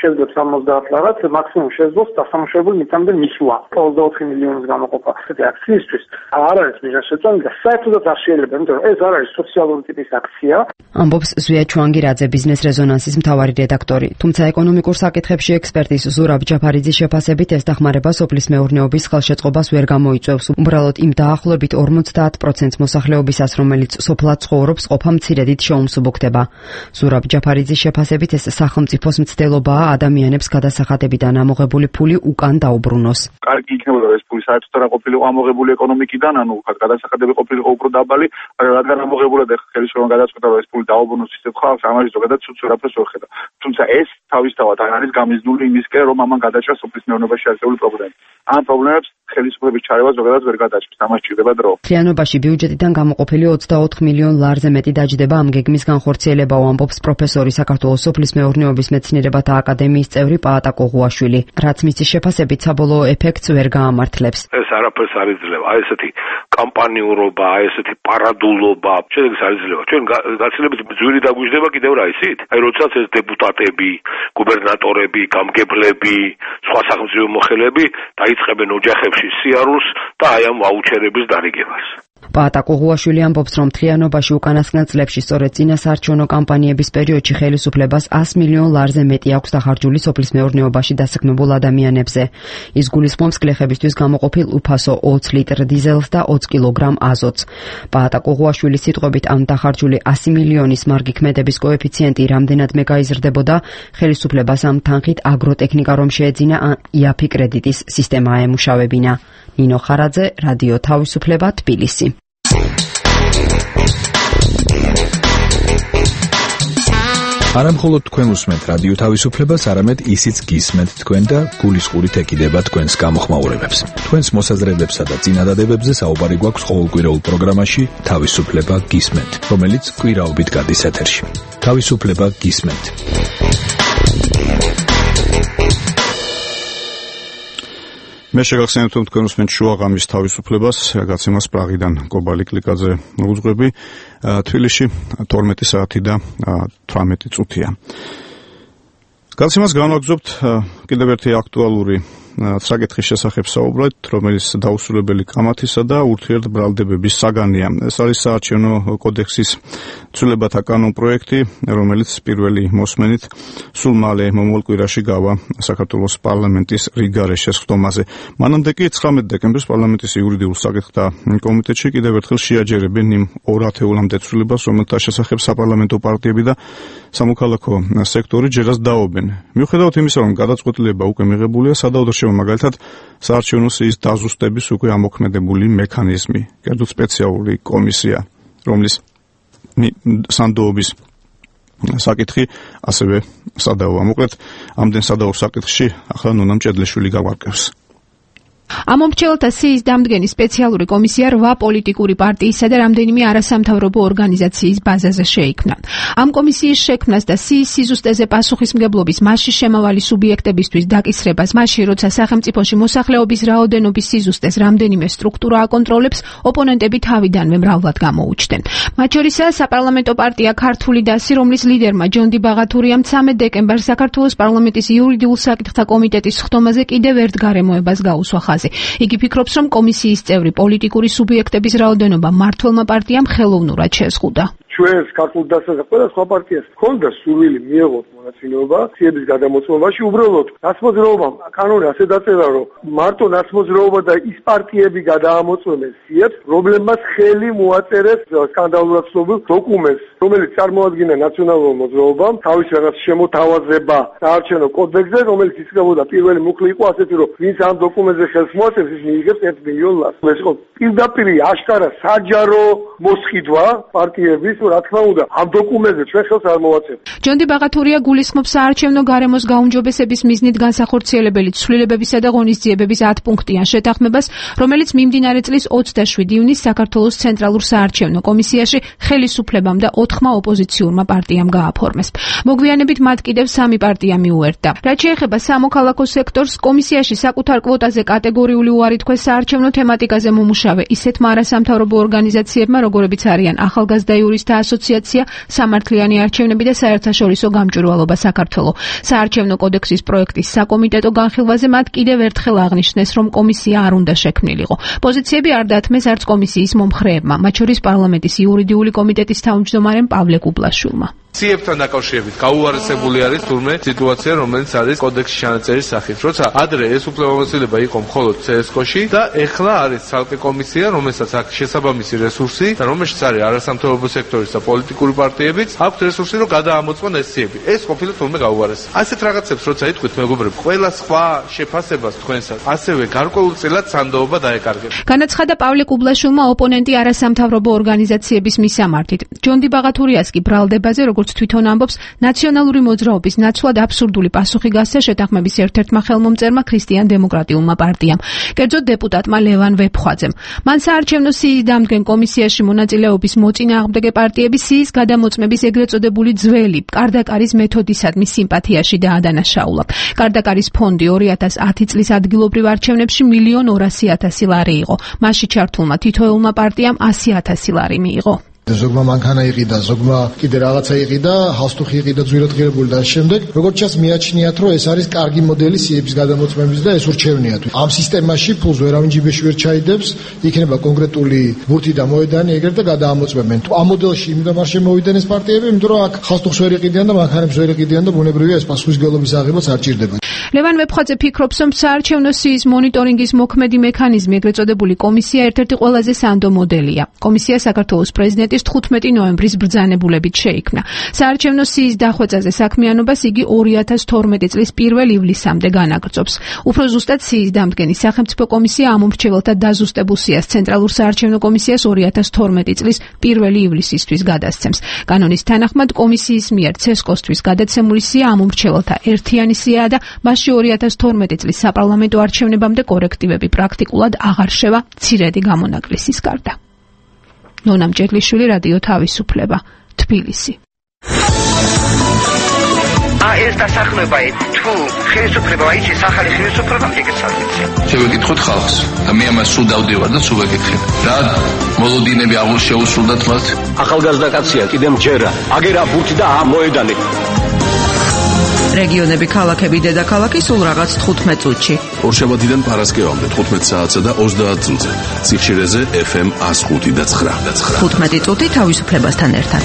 შეძლებს 70 ლარად, მაქსიმუმ შეძლოს დასამუშავებელი მიწამდე მისვლა. 24 მილიონის გამოყოფა ასეთი აქციისთვის არ არის მიზანშეწონილი და საერთოდაც არ შეიძლება, იმიტომ რომ ეს არ არის სოციალური ტიპის აქცია. ამბობს ზვია ჩუანგირაძე, ბიზნეს რეზონანსის მთავარი რედაქტორი. თუმცა ეკონომიკურ საკითხებში ექსპერტის ზურაბ ჯაფარიძის შეფასებით ეს დახმარება სოფლის მეურნეობის ხელშეწყობას ვერ გამოიწვევს. უბრალოდ იმ დაახლოებით 50% მოსახლეობისას, რომელიც სოფლად ცხოვრობს, ყოფა მცირედით შეუმსუბუქდება. ზურაბ ჯაფარიძის შეფასებით ეს სახელმწიფოს მცდელობაა ადამიანებს გადასახადებიდან ამოღებული ფული უკან დაუბრუნოს. კარგი იქნებოდა ეს ფული საერთოდ არ ყოფილიყო ამოღებული ეკონომიკიდან, ანუ გადასახადები ყოფილიყო უფრო დაბალი, რადგან ამოღებულად ხელისუფლებამ გადაწყვეტა რომ ეს ფული დაუბრუნოს ისეთ ხალხს, ამაში ზოგადად ცუც ვერაფერს ვერ ხედა. თუმცა ეს თავისთავად არ არის გამიზნული იმისკენ, რომ ამან გადაჭრა სოფლის მეურნეობაში არსებული პრობლემები. ამ პრობლემებს ხელისუფლების ჩარევა ზოგადად ვერ გადაჭრს, ამას სჭირდება დრო. მთლიანობაში ბიუჯეტიდან გამოყოფილი 24 მილიონ ლარზე მეტი დაჯდება ამ გეგმის განხორციელება, ამბობს პროფესორი საქართველოს სოფლის მეურნეობის მეცნიერებათა აკადემიის წევრი პაატა კოღუაშვილი. რაც მისი შეფასებით საბოლოო ეფექტს ვერ გაამართლებს. ეს არაფერს არ იძლევა. აი ესეთი კამპანიურობა, აი ესეთი პარადულობა, შედეგს არ იძლევა. ჩვენ გაცილებით ძვირი დაგვიждდება კიდევ რა ისით? აი როდესაც ეს დეპუტატები, გუბერნატორები, გამგებლები, სხვა სახელმწიფო მოხელეები დაიწყებენ ოჯახებში სიარულს და აი ამ ვაუჩერების დარიგებას. პაატა კოღუაშვილი ამბობს, რომ მთლიანობაში უკანასკნელ წლებში სწორედ წინასაარჩევნო კამპანიების პერიოდში ხელისუფლებას 100 მილიონ ლარზე მეტი აქვს დახარჯული სოფლის მეურნეობაში დასაქმებულ ადამიანებზე. ის გულისხმობს გლეხებისთვის გამოყოფილ უფასო 20 ლიტრ დიზელს და 20 კილოგრამ აზოტს. პაატა კოღუაშვილის სიტყვებით ამ დახარჯული 100 მილიონის მარგი ქმედების კოეფიციენტი რამდენადმე გაიზრდებოდა, ხელისუფლებას ამ თანხით აგროტექნიკა რომ შეეძინა, იაფი კრედიტის სისტემა აემუშავებინა. ნინო ხარაძე, რადიო თავისუფლება, თბილისი. არამხოლოდ თქვენ უსმენთ რადიო თავისუფლებას, არამედ ისიც გისმენთ თქვენ და გულისყურით ეკიდება თქვენს გამოხმაურებებს. თქვენს მოსაზრებებსა და წინადადებებზე საუბარი გვაქვს ყოველკვირეულ პროგრამაში თავისუფლება გისმენთ, რომელიც კვირაობით გადის ეთერში. თავისუფლება გისმენთ. მე შეგახსენებთ, რომ თქვენ უსმენთ შუაღამის თავისუფლებას, გაცემას პრაღიდან კობალი კლიკაძე უძღვები, თბილისში 12 საათი და 18 წუთია. გაცემას განვაგრძობთ კიდევ ერთი აქტუალური საკითხის შესახებ საუბრად, რომელიც დაუსრულებელი კამათისა და ურთიერთბრალდებების საგანია. ეს არის საარჩევნო კოდექსის ცვლილებათა კანონპროექტი, რომელიც პირველი მოსმენით სულ მალე მომავალ კვირაში გავა საქართველოს პარლამენტის რიგარეშეს ხდომაზე. მანამდე კი 19 დეკემბერს პარლამენტის იურიდიულ საკითხთა კომიტეტში კიდევ ერთხელ შეაჯერებენ იმ ორ ათეულამდე ცვლილებას, რომელთა შესახებ საპარლამენტო პარტიები და სამოქალაქო სექტორი ჯერაც დაობენ. მიუხედავად იმისა, რომ გადაწყვეტილება უკვე მიღებულია, სადავო რჩევა მაგალითად საარჩევნო სიის დაზუსტების უკვე ამოქმედებული მექანიზმი, კერძოდ სპეციალური კომისია. რომლის სანდოობის საკითხი ასევე სადავოა. მოკლედ, ამდენ სადავო საკითხში ახლა ნუნა მჭედლიშვილი გავარკვევს. ამ მომრჩეველთა სიის დამდგენი სპეციალური კომისია 8 პოლიტიკური პარტიისა და რამდენიმე არასამთავრობო ორგანიზაციის ბაზაზე შეიქმნა. ამ კომისიის შექმნას და სიის სიზუსტეზე პასუხისმგებლობის მასში შემავალი სუბიექტებისთვის დაკისრებას, მაშინ როცა სახელმწიფოში მოსახლეობის რაოდენობის სიზუსტეს რამდენიმე სტრუქტურა აკონტროლებს, ოპონენტები თავიდანვე მრავლად გამოუჩნდნენ. მათ შორისაა საპარლამენტო პარტია ქართული დასი, რომლის ლიდერმა ჯონდი ბაღათურიამ 13 დეკემბერს საქართველოს პარლამენტის იურიდიულ საკითხთა კომიტეტის ხდომაზე კიდევ ერთ გარემოებას გაუსვა ხაზი. იგი ფიქრობს, რომ კომისიის წევრი პოლიტიკური სუბიექტების რაოდენობა მმართველმა პარტიამ ხელოვნურად შეზღუდა. ჩვენს ქართულ დასას და ყველა სხვა პარტიას ჰქონდა სურვილი მიეღოთ მონაწილეობა სიების გადამოწმებაში. უბრალოდ ნაცმოძრაობამ კანონი ასე დაწერა, რომ მარტო ნაცმოძრაობა და ის პარტიები გადაამოწმებენ სიებს, რომლებმაც ხელი მოაწერეს სკანდალურად ცნობილ დოკუმენტს, რომელიც წარმოადგენდა ნაციონალურ მოძრაობამ თავის რაღაც შემოთავაზება საარჩევნო კოდექსზე, რომელიც ისწრებოდა პირველი მუხლი იყო ასეთი, რომ ვინც ამ დოკუმენტზე ხელს მოაწერს, ის მიიღებს 1 მილიონ ლარს. ეს იყო პირდაპირ აშკარა საჯარო მოსყიდვა პარტიების, რა თქმა უნდა, ამ დოკუმენტზე ჩვენ ხელს არ მოვაწერთ. ჯონდი ბაღათურია გულისხმობს საარჩევნო გარემოს გაუმჯობესების მიზნით განსახორციელებელი ცვლილებებისა და ღონისძიებების 10 პუნქტიან შეთანხმებას, რომელიც მიმდინარე წლის 27 ივნისს საქართველოს ცენტრალურ საარჩევნო კომისიაში ხელისუფლებამ და 4 ოპოზიციურმა პარტიამ გააფორმეს. მოგვიანებით მათ კიდევ 3 პარტია მიუერთდა. რაც შეეხება სამოქალაქო სექტორს, კომისიაში საკუთარ კვოტაზე კატეგორიული უარი თქვეს საარჩევნო თემატიკაზე მომუშავე ისეთმა არასამთავრობო ორგანიზაციებმა, როგორებიც არიან ახალგაზრდა იურისტთა ასოციაცია, სამართლიანი არჩევნები და საერთაშორისო გამჭვირვალობა საქართველო. საარჩევნო კოდექსის პროექტის საკომიტეტო განხილვაზე მათ კიდევ ერთხელ აღნიშნეს, რომ კომისია არ უნდა შექმნილიყო. პოზიციები არ დათმეს არც კომისიის მომხრეებმა, მათ შორის პარლამენტის იურიდიული კომიტეტის თავმჯდომარემ პავლე კუბლაშვილმა. სიებთან დაკავშირებით გაუარესებული არის თურმე სიტუაცია, რომელიც არის კოდექსში ჩანაწერის სახით. როცა ადრე ეს უფლებამოსილება იყო მხოლოდ CSKO-ში და ეხლა არის ცალკე კომისია, რომელსაც აქვს შესაბამისი რესურსი და რომელშიც არის არასამთავრობო სექტორის და პოლიტიკური პარტიებიც აქვს რესურსი, რომ გადაამოწმონ ეს სიები. ეს ყოფილა თურმე გაუარესება. ასეთ რაღაცებს როცა იტყვით, მეგობრებო, ყველა სხვა შეფასებას თქვენსაც ასევე გარკვეულწილად სანდოობა დაეკარგება. განაცხადა პავლე კუბლაშვილმა ოპონენტი არასამთავრობო ორგანიზაციების მისამართით. ჯონდი ბაღათურიას კი ბრალდებაზე, როგორც თვითონ ამბობს, ნაციონალური მოძრაობის ნაცვლად აბსურდული პასუხი გასცა შეთანხმების ერთ-ერთმა ხელმომწერმა ქრისტიან-დემოკრატიულმა პარტიამ, კერძოდ დეპუტატმა ლევან ვეფხვაძემ. მან საარჩევნო სიის დამდგენ კომისიაში მონაწილეობის მოწინააღმდეგე პარტიების სიის გადამოწმების ეგრეთ წოდებული ძველი კარდაკარის მეთოდისადმი სიმპათიაში დაადანაშაულა. კარდაკარის ფონდი 2010 წლის ადგილობრივ არჩევნებში 1,200,000 ლარი იყო. მასში ჩართულმა თითოეულმა პარტიამ 100,000 ლარი მიიღო. ზოგმა მანქანა იყიდა, ზოგმა კიდე რაღაცა იყიდა, ჰალსტუხი იყიდა ძვირადღირებული და შემდეგ, როგორც ჩანს მიაჩნიათ, რომ ეს არის კარგი მოდელი სიების გადამოწმების და ეს ურჩევნიათ. ამ სისტემაში ფულს ვერავინ ჯიბეში ვერ ჩაიდებს, იქნება კონკრეტული ბურთი და მოედანი ეგრეთ და გადაამოწმებენ. ამ მოდელში იმდენ არ შემოვიდნენ ეს პარტიები, იმიტომ რომ აქ ჰალსტუხს ვერ იყიდიან და მანქანებს ვერ იყიდიან და ბუნებრივია ეს პასუხისმგებლობის აღებაც არ ჭირდება. ლევან ვეფხვაძე ფიქრობს, რომ საარჩევნო სიის მონიტორინგის მოქმედი მექანიზმი, ეგრეთ წოდებული კომისია, ერთ-ერთი ყველაზე სანდო მოდელია. კომისია საქართველოს პრეზიდენტის 15 ნოემბრის ბრძანებულებით შეიქმნა. საარჩევნო სიის დახვეწაზე საქმიანობას იგი 2012 წლის 1 ივლისამდე განაგრძობს. უფრო ზუსტად სიის დამდგენი სახელმწიფო კომისია ამ მომრჩეველთა დაზუსტებულ სიას ცენტრალურ საარჩევნო კომისიას 2012 წლის 1 ივლისისთვის გადასცემს. კანონის თანახმად კომისიის მიერ CSKO-სთვის გადაცემული სია ამ მომრჩეველთა ერთიანი სიაა და მასში 2012 წლის საპარლამენტო არჩევნებამდე კორექტივები პრაქტიკულად აღარ შევა მცირედი გამონაკლისის გარდა. ნონა მჭედლიშვილი, რადიო თავისუფლება, თბილისი. ეს დასახლება თუ ხელისუფლება აიჭის ახალი ხელისუფლება მიგეცადეთ. შევეკითხოთ ხალხს და მე ამას სულ დავდივარ და სულ ვეკითხებ. რა მოლოდინები აღულ შეუსრულდათ მათ? ახალგაზრდა კაცია, კიდემ ჯერა. აგერა ბურთი და მოედანი. რეგიონები, ქალაქები, დედაქალაქი სულ რაღაც 15 წუთში. ორშაბათიდან პარასკევამდე 15 საათსა და 30 წუთზე. სიხშირეზე FM 105 და 9. 15 წუთი თავისუფლებასთან ერთად.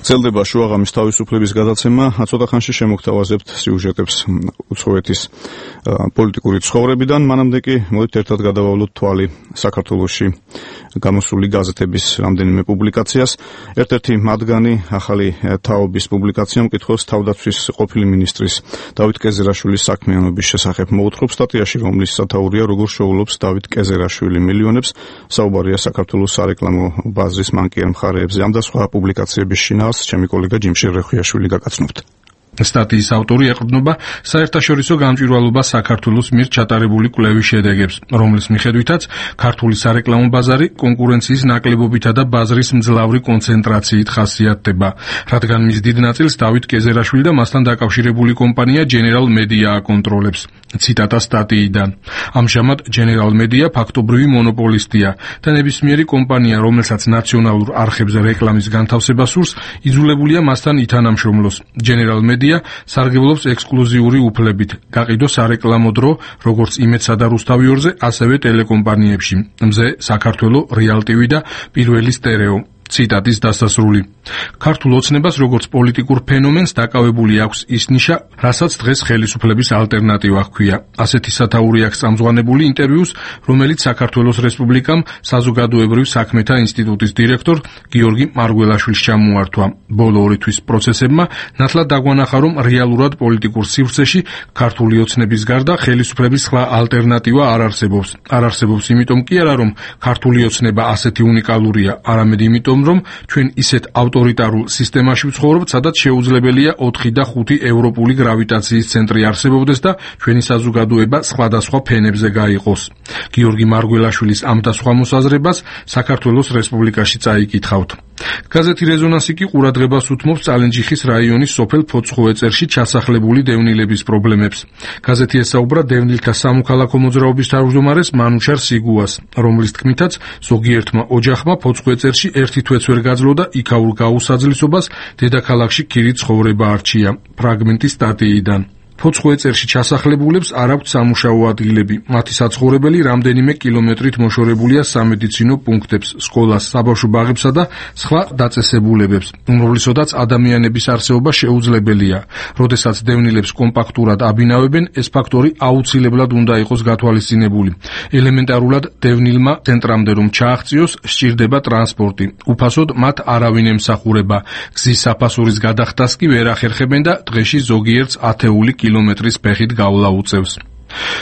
გრძელდება შუაღამის თავისუფლების გადაცემა, ცოტა ხანში შემოგთავაზებთ სიუჟეტებს უცხოეთის პოლიტიკური ცხოვრებიდან. მანამდე კი მოდით ერთად გადავავლოთ თვალი საქართველოში გამოსული გაზეთების რამდენიმე პუბლიკაციას. ერთ-ერთი მათგანი ახალი თაობის პუბლიკაცია მკითხველს თავდაცვის ყოფილი მინისტრის დავით კეზერაშვილის საქმიანობის შესახებ მოუთხრობს. სტატიაში, რომლის სათაურია როგორ შეუვლობს დავით კეზერაშვილი მილიონებს, საუბარია საქართველოს სარეკლამო ბაზრის მანკიერ მხარეებზე. ამ და სხვა პუბლიკაციების შინაარსს ჩემი კოლეგა ჯიმშელ რეხვიაშვილი გაგაცნობთ. სტატიის ავტორი ეყრდნობა საერთაშორისო გამჭვირვალობას საქართველოს მიერ ჩატარებული კვლევის შედეგებს, რომლის მიხედვითაც ქართული სარეკლამო ბაზარი კონკურენციის ნაკლებობითა და ბაზრის მძლავრი კონცენტრაციით ხასიათდება, რადგან მის დიდ ნაწილს დავით კეზერაშვილი და მასთან დაკავშირებული კომპანია General Media აკონტროლებს. ციტატა სტატიიდან. ამჟამად General Media ფაქტობრივი მონოპოლისტია და ნებისმიერი კომპანია, რომელსაც ნაციონალურ არხებზე რეკლამის განთავსება სურს, იძულებულია მასთან ითანამშრომლოს. General Media სარგებლობს ექსკლუზიური უფლებით, გაყიდოს სარეკლამო დრო, როგორც იმედსა და რუსთავიორზე, ასევე ტელეკომპანიებში, მზე, საქართველო, რეალ ტივი და პირველი სტერეო. ციტატის დასასრული. ქართულ ოცნებას როგორც პოლიტიკურ ფენომენს დაკავებული აქვს ის ნიშა, რასაც დღეს ხელისუფლების ალტერნატივა ჰქვია. ასეთი სათაური აქვს წამზღვანებული ინტერვიუს, რომელიც საქართველოს რესპუბლიკამ საზოგადოებრივ საქმეთა ინსტიტუტის დირექტორ გიორგი მარგველაშვილს ჩამოართვა. ბოლო 2 თვის პროცესებმა ნათლად დაგვანახა, რომ რეალურად პოლიტიკურ სივრცეში ქართული ოცნების გარდა ხელისუფლების სხვა ალტერნატივა არ არსებობს. არ არსებობს იმიტომ კი არა, რომ ქართული ოცნება ასეთი უნიკალურია, არამედ იმიტომ, რომ ჩვენ ისეთ ავტორიტარულ სისტემაში ვცხოვრობთ, სადაც შეუძლებელია 4 და 5 ევროპული გრავიტაციის ცენტრი არსებობდეს და ჩვენი საზოგადოება სხვადასხვა ფენებზე გაიყოს. გიორგი მარგველაშვილის ამ და სხვა მოსაზრებას საქართველოს რესპუბლიკაში წაიკითხავთ. გაზეთი რეზონანსი კი ყურადღებას უთმობს წალენჯიხის რაიონის სოფელ ფოცხოვეწერში ჩასახლებული დევნილების პრობლემებს. გაზეთი ესაუბრა დევნილთა სამოქალაქო მოძრაობის თავმჯდომარეს მანუჩარ სიგუას, რომლის თქმითაც ზოგიერთმა ოჯახმა ფოცხოვეწერში ერთი თვეც ვერ გაძლო და იქაურ გაუსაძლისობას დედაქალაქში ქირით ცხოვრება არჩია. ფრაგმენტი სტატიიდან. ფოცხოვეწერში ჩასახლებულებს არ აქვთ სამუშაო ადგილები. მათი საცხოვრებელი რამდენიმე კილომეტრით მოშორებულია სამედიცინო პუნქტებს, სკოლას, საბავშვო ბაღებსა და სხვა დაწესებულებებს, უმრავლესოდაც ადამიანების არსებობა შეუძლებელია. როდესაც დევნილებს კომპაქტურად აბინავებენ, ეს ფაქტორი აუცილებლად უნდა იყოს გათვალისწინებული. ელემენტარულად დევნილმა ცენტრამდე რომ ჩააღწიოს, სჭირდება ტრანსპორტი. უფასოდ მათ არავინ ემსახურება. გზის საფასურის გადახდას კი ვერ ახერხებენ და დღეში ზოგიერთს ათეული კილომეტრის ფეხით გავლა უწევს.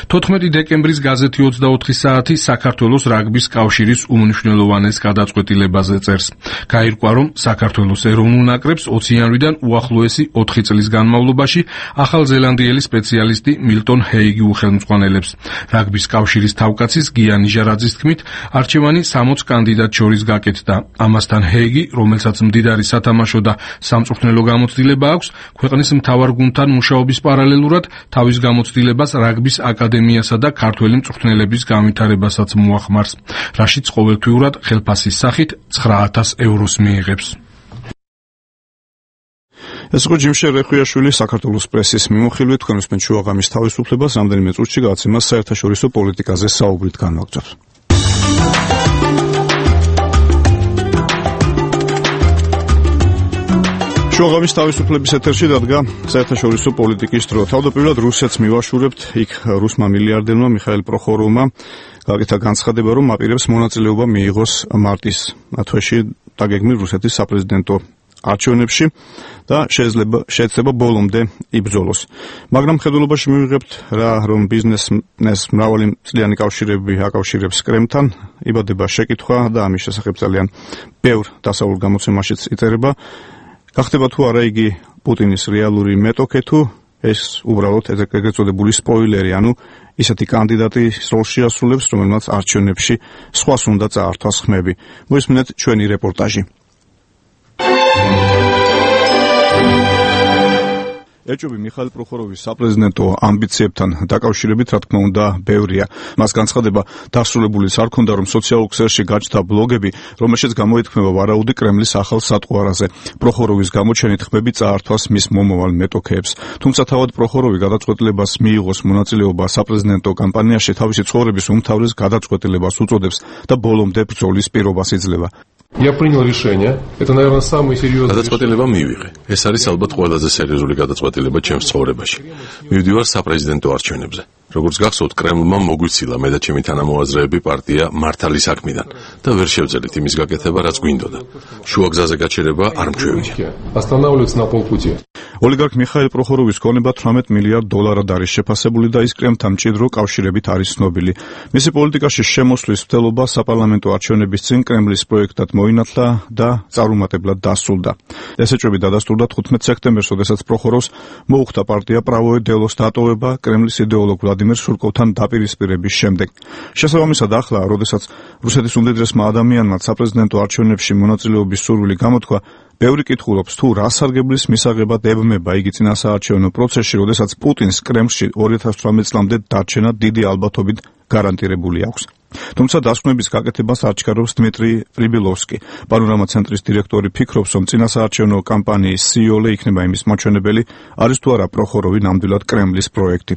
14 დეკემბრის გაზეთი 24 საათი საქართველოს რაგბის კავშირის უმნიშვნელოვანეს გადაწყვეტილებაზე წერს. გაირკვა, რომ საქართველოს ეროვნულ ნაკრებს 20 იანვრიდან უახლოესი 4 წლის განმავლობაში ახალზელანდიელი სპეციალისტი მილტონ ჰეიგი უხელმძღვანელებს. რაგბის კავშირის თავკაცის გია ნიჟარაძის თქმით, არჩევანი 60 კანდიდატ შორის გაკეთდა. ამასთან ჰეიგი, რომელსაც მდიდარი სათამაშო და სამწვრთნელო გამოცდილება აქვს, ქვეყნის მთავარ გუნდთან მუშაობის პარალელურად თავის გამოცდილებას რაგბის აკადემიასა და ქართველი მწვრთნელების განვითარებასაც მოახმარს, რაშიც ყოველთვიურად ხელფასის სახით 9000 ევროს მიიღებს. ეს იყო ჯიმშელ რეხვიაშვილი, საქართველოს პრესის მიმოხილვით. თქვენ უსმენთ შუაღამის თავისუფლებას, რამდენიმე წუთში გადაცემას საერთაშორისო პოლიტიკაზე საუბრით განვაგრძობთ. შუაღამის თავისუფლების ეთერში დადგა საერთაშორისო პოლიტიკის დრო. თავდაპირველად რუსეთს მივაშურებთ, იქ რუსმა მილიარდერმა მიხაილ პროხოროვმა გაკეთა განცხადება, რომ აპირებს მონაწილეობა მიიღოს მარტის თვეში დაგეგმილ რუსეთის საპრეზიდენტო არჩევნებში და შეიძლება ბოლომდე იბრძოლოს. მაგრამ ხედულობაში მივიღებთ რა, რომ ბიზნესს მრავალი წლიანი კავშირები აკავშირებს კრემლთან, იბადება შეკითხვა და ამის შესახებ ძალიან ბევრ დასავლურ გამოცემაშიც იწერება. გახდება თუ არა იგი პუტინის რეალური მეტოქე თუ ეს უბრალოდ ეგრეთ წოდებული სპოილერი, ანუ ისეთი კანდიდატი როლში ასრულებს, რომელმაც არჩევნებში სხვას უნდა წაართვას ხმები. მოისმინეთ ჩვენი რეპორტაჟი. ეჭვები მიხაილ პროხოროვის საპრეზიდენტო ამბიციებთან დაკავშირებით, რა თქმა უნდა, ბევრია. მას განცხადება დასრულებულიც არ ქონდა, რომ სოციალურ ქსელში გაჩნდა ბლოგები, რომელშიც გამოითქმება ვარაუდი კრემლის ახალ სატყვარაზე. პროხოროვის გამოჩენით ხმები წაართვას მის მომავალ მეტოქეებს. თუმცა თავად პროხოროვი გადაწყვეტილებას მიიღოს მონაწილეობა საპრეზიდენტო კამპანიაში თავისი ცხოვრების უმთავრეს გადაწყვეტილებას უწოდებს და ბოლომდე ბრძოლის პირობას იძლევა. Я принял решение. Это, наверное, самый серьезный. გადაწყვეტილება მივიღე. ეს არის ალბათ ყველაზე სერიოზული გადაწყვეტილება ჩემს ცხოვრებაში. მივდივარ საპრეზიდენტო არჩევნებზე. როგორც გახსოვთ, კრემლმა მოგვიცილა მე და ჩემი თანამოაზრეები პარტია მართალი საქმიდან და ვერ შევძელით იმის გაკეთება, რაც გვინდოდა. შუა გზაზე გაჩერება არ მჩვევია. Останавливаться на полпути. ოლიგარქ მიხაილ პროხოროვის ქონება $18 მილიარდ არის შეფასებული და ის კრემლთან მჭიდრო კავშირებით არის ცნობილი. მისი პოლიტიკაში შემოსვლის მცდელობა საპარლამენტო არჩევნების წინ კრემლის პროექტად მოინათლა და წარუმატებლად დასრულდა. ესეჭვები დადასტურდა 15 სექტემბერს, როდესაც პროხოროვს მოუხდა პარტია Pravое Delo-ს დატოვება კრემლის იდეოლოგ ვლადიმერ სურკოვთან დაპირისპირების შემდეგ. შესაბამისად, ახლა, როდესაც რუსეთის უმდიდრესმა ადამიანმა საპრეზიდენტო არჩევნებში მონაწილეობის სურვილი გამოთქვა, ბევრი კითხულობს, თუ რა სარგებლის მისაღებად ებმება იგი წინასაარჩევნო პროცესში, როდესაც პუტინს კრემლში 2018 წლამდე დარჩენა დიდი ალბათობით გარანტირებული აქვს. თუმცა დასკვნების გაკეთებას აჩქარებს დმიტრი პრიბილოვსკი. პანორამა ცენტრის დირექტორი ფიქრობს, რომ წინასაარჩევნო კამპანიის სიოლე იქნება იმის მაჩვენებელი, არის თუ არა პროხოროვი ნამდვილად კრემლის პროექტი.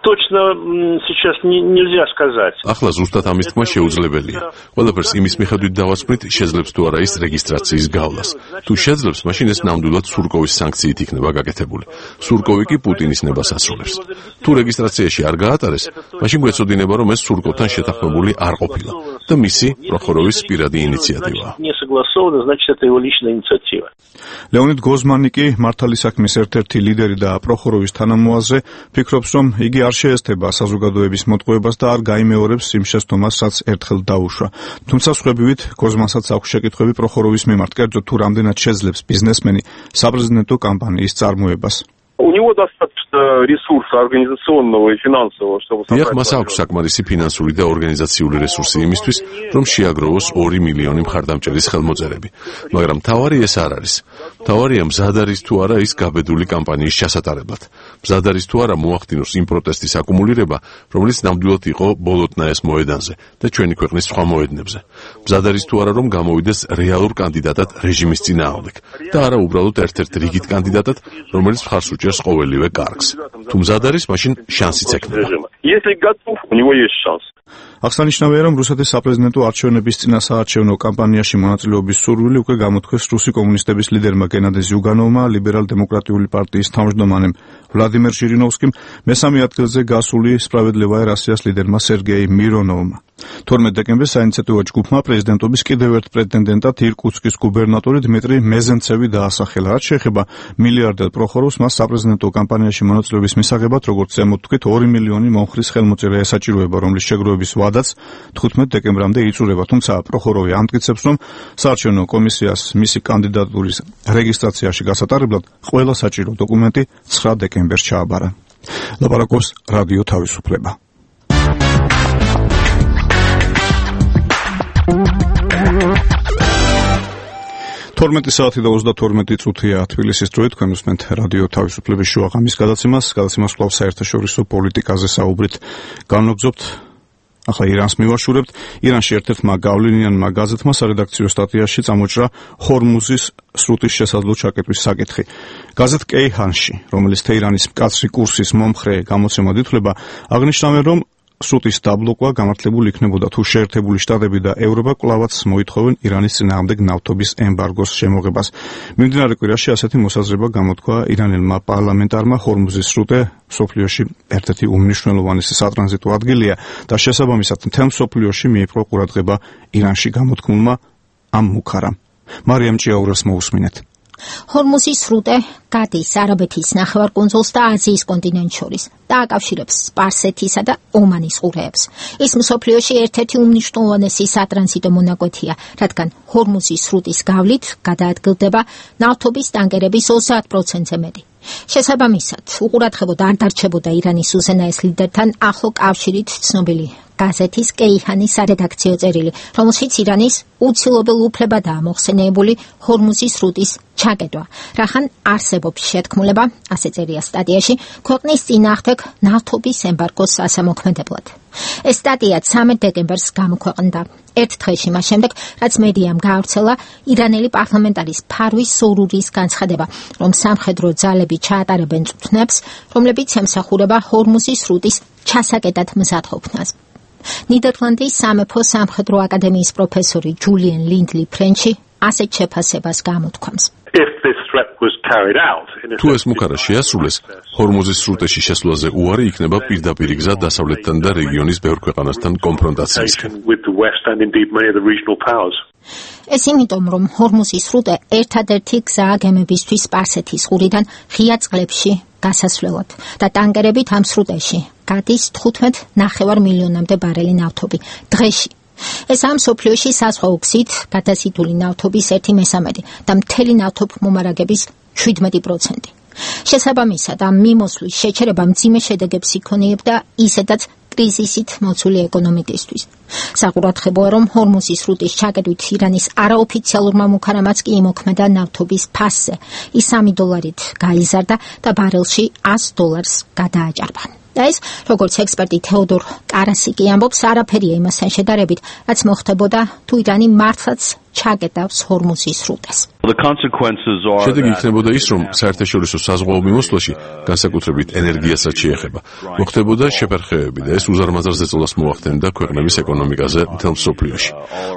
Точно сейчас нельзя сказать. ახლა ზუსტად ამის თქმა შეუძლებელია. ყველაფერს იმის მიხედვით დავასწრით, შეძლებს თუ არა ის რეგისტრაციის გავლას. თუ შეძლებს, მაშინ ეს ნამდვილად სურკოვის სანქციით იქნება გაკეთებული. სურკოვი კი პუტინის ნებას ასრულებს. თუ რეგისტრაციაში არ გაატარეს, მაშინ გვეცოდინება, რომ ეს სურკოვთან შეთანხმებული არ ყოფილა და მისი პროხოროვის პირადი ინიციატივაა. Не согласовано, значит это его личная инициатива. ლეონიდ გოზმანი კი მართალი საქმის ერთ-ერთი ლიდერი და პროხოროვის თანამოაზრე ფიქრობს, რომ იგი არ შეესწება საზოგადოების მოტყუებას და არ გაიმეორებს იმ შესტომას, რაც ერთხელ დაუშვა. თუმცა სხვებივით გოზმანსაც აქვს შეკითხვები პროხოროვის მიმართ, კერძოდ თუ რამდენად შეძლებს ბიზნესმენი საპრეზიდენტო კამპანიის წარმოებას. У него достаточно ресурса организационного и финансового, чтобы დიახ, მას აქვს საკმარისი ფინანსური და ორგანიზაციული რესურსი იმისთვის, რომ შეაგროვოს 2 მილიონი მხარდამჭერის ხელმოწერები. მაგრამ თავარი ეს არ არის. თავარია მზად არის თუ არა ის გაბედული კამპანიის ჩასატარებლად. მზად არის თუ არა მოახდინოს იმ პროტესტის აკუმულირება, რომელიც ნამდვილად იყო ბოლოტნაეს მოედანზე და ჩვენი ქვეყნის სხვა მოედნებზე. მზად არის თუ არა რომ გამოვიდეს რეალურ კანდიდატად რეჟიმის წინააღმდეგ და არა უბრალოდ ერთ-ერთ რიგით კანდიდატად, რომელიც მხარს უჭერს ყოველივე კარგს. თუ მზად არის, მაშინ შანსიც ექნება. Если готов, у него есть шанс. აღსანიშნავია, რომ რუსეთის საპრეზიდენტო არჩევნების წინასაარჩევნო კამპანიაში მონაწილეობის სურვილი უკვე გამოთქვეს რუსი კომუნისტების ლიდერმა გენადი ზიუგანოვმა, ლიბერალ-დემოკრატიული პარტიის თავმჯდომარემ ვლადიმერ ჟირინოვსკიმ, მესამე ადგილზე გასული სპრავედლივაია რასიას ლიდერმა სერგეი მირონოვმა. 12 დეკემბერს საინიციატივო ჯგუფმა პრეზიდენტობის კიდევ ერთ პრეტენდენტად ირკუტსკის გუბერნატორი დმიტრი მეზენცევი დაასახელა. რაც შეეხება მილიარდერ პროხოროვს, მას საპრეზიდენტო კამპანიაში მონაწილეობის მისაღებად, როგორც ზემოთ თქვით, 2 მილიონი მომხრის ხელმოწერა ესაჭიროება, რომლის შეგროვების ვადაც 15 დეკემბრამდე იწურება. თუმცა პროხოროვი ამტკიცებს, რომ საარჩევნო კომისიას მისი კანდიდატურის რეგისტრაციაში გასატარებლად ყველა საჭირო დოკუმენტი 9 დეკემბერს ჩააბარა. ლაპარაკობს რადიო თავისუფლება. 12 საათი და 32 წუთია თბილისის დროით, თქვენ უსმენთ რადიო თავისუფლების შუა ღამის გადაცემას კვლავ საერთაშორისო პოლიტიკაზე საუბრით განვაგრძობთ. ახლა ირანს მივაშურებთ. ირანში ერთ-ერთმა გავლენიანმა გაზეთმა სარედაქციო სტატიაში წამოჭრა ჰორმუზის სრუტის შესაძლო ჩაკეტვის საკითხი. გაზეთ კეიჰანში, რომელიც თეირანის მკაცრი კურსის მომხრე გამოცემად ითვლება, აღნიშნავენ, რომ სრუტის დაბლოკვა გამართლებული იქნებოდა თუ შეერთებული შტატები და ევროპა კვლავაც მოითხოვენ ირანის წინააღმდეგ ნავთობის ემბარგოს შემოღებას. მიმდინარე კვირაში ასეთი მოსაზრება გამოთქვა ირანელმა პარლამენტარმა. ჰორმუზის სრუტე მსოფლიოში ერთ-ერთი უმნიშვნელოვანესი სატრანზიტო ადგილია და შესაბამისად მთელ მსოფლიოში მიიპყრო ყურადღება ირანში გამოთქმულმა ამ მუქარამ. მარიამ ჭიაურას მოусმინეთ. ჰორმუზის სრუტე გადის არაბეთის ნახევარკუნძულს და აზიის კონტინენტს შორის და აკავშირებს სპარსეთისა და ომანის ყურეებს. ის მსოფლიოში ერთ-ერთი უმნიშვნელოვანესი სატრანზიტო მონაკვეთია, რადგან ჰორმუზის სრუტის გავლით გადაადგილდება ნავთობის ტანკერების 30%-ზე მეტი. შესაბამისად, უყურადღებოდ არ დარჩებოდა ირანის უზენაეს ლიდერთან ახლო კავშირით ცნობილი გაზეთის კეიჰანის სარედაქციო წერილი, რომელშიც ირანის უცილობელ უფლებადაა მოხსენიებული ჰორმუზის სრუტის ჩაკეტვა. რახან არსებობს შეთქმულება, ასე წერია სტატიაში, ქვეყნის წინააღმდეგ ნავთობის ემბარგოს ასამოქმედებლად. ეს სტატია 13 დეკემბერს გამოქვეყნდა. ერთ დღეში მას შემდეგ, რაც მედიამ გაავრცელა ირანელი პარლამენტარის ფარვის სურურის განცხადება, რომ სამხედრო ძალები ჩაატარებენ წვნებს, რომლებიც ემსახურება ჰორმუზის სრუტის ჩასაკეტად მზადყოფნას. ნიდერლანდის სამეფო სამხედრო აკადემიის პროფესორი ჯულიან ლინდლი ფრენჩი ასეთ შეფასებას გამოთქვამს. თუ ეს მუქარა შეასრულეს, ჰორმუზის სრუტეში შესვლაზე უარი იქნება პირდაპირ გზა დასავლეთთან და რეგიონის ბევრ ქვეყანასთან კონფრონტაციისკენ. ეს იმიტომ, რომ ჰორმუზის სრუტე ერთადერთი გზაა გემებისთვის სპარსეთის ყურიდან ღია წყლებში გასასვლელად და ტანკერებით ამ სრუტეში გადის 15.5 მილიონამდე ბარელი ნავთობი დღეში. ეს ამ სოფლიოში საზღვაო გზით გადაზიდული ნავთობის 1/3 და მთელი ნავთობმომარაგების 17%. შესაბამისად, ამ მიმოსვლის შეჩერება მძიმე შედეგებს იქონიებდა ისედაც კრიზისით მოცული ეკონომიკისთვის. საყურადღებოა, რომ ჰორმუზის სრუტის ჩაკეტვით ირანის არაოფიციალურმა მუქარამაც კი იმოქმედა ნავთობის ფასზე. ის $3 გაიზარდა და ბარელში $100 გადააჭარბა. და ეს, როგორც ექსპერტი თეოდორ კარასიკი ამბობს, არაფერია იმასთან შედარებით, რაც მოხდებოდა თუ ირანი მართლაც ჩაკეტავს ჰორმუზის სრუტეს. შედეგი იქნებოდა ის, რომ საერთაშორისო საზღვაო მიმოსვლაში, განსაკუთრებით ენერგიასაც შეეხება, მოხდებოდა შეფერხებები და ეს უზარმაზარ ზეწოლას მოახდენდა ქვეყნების ეკონომიკაზე მთელ მსოფლიოში.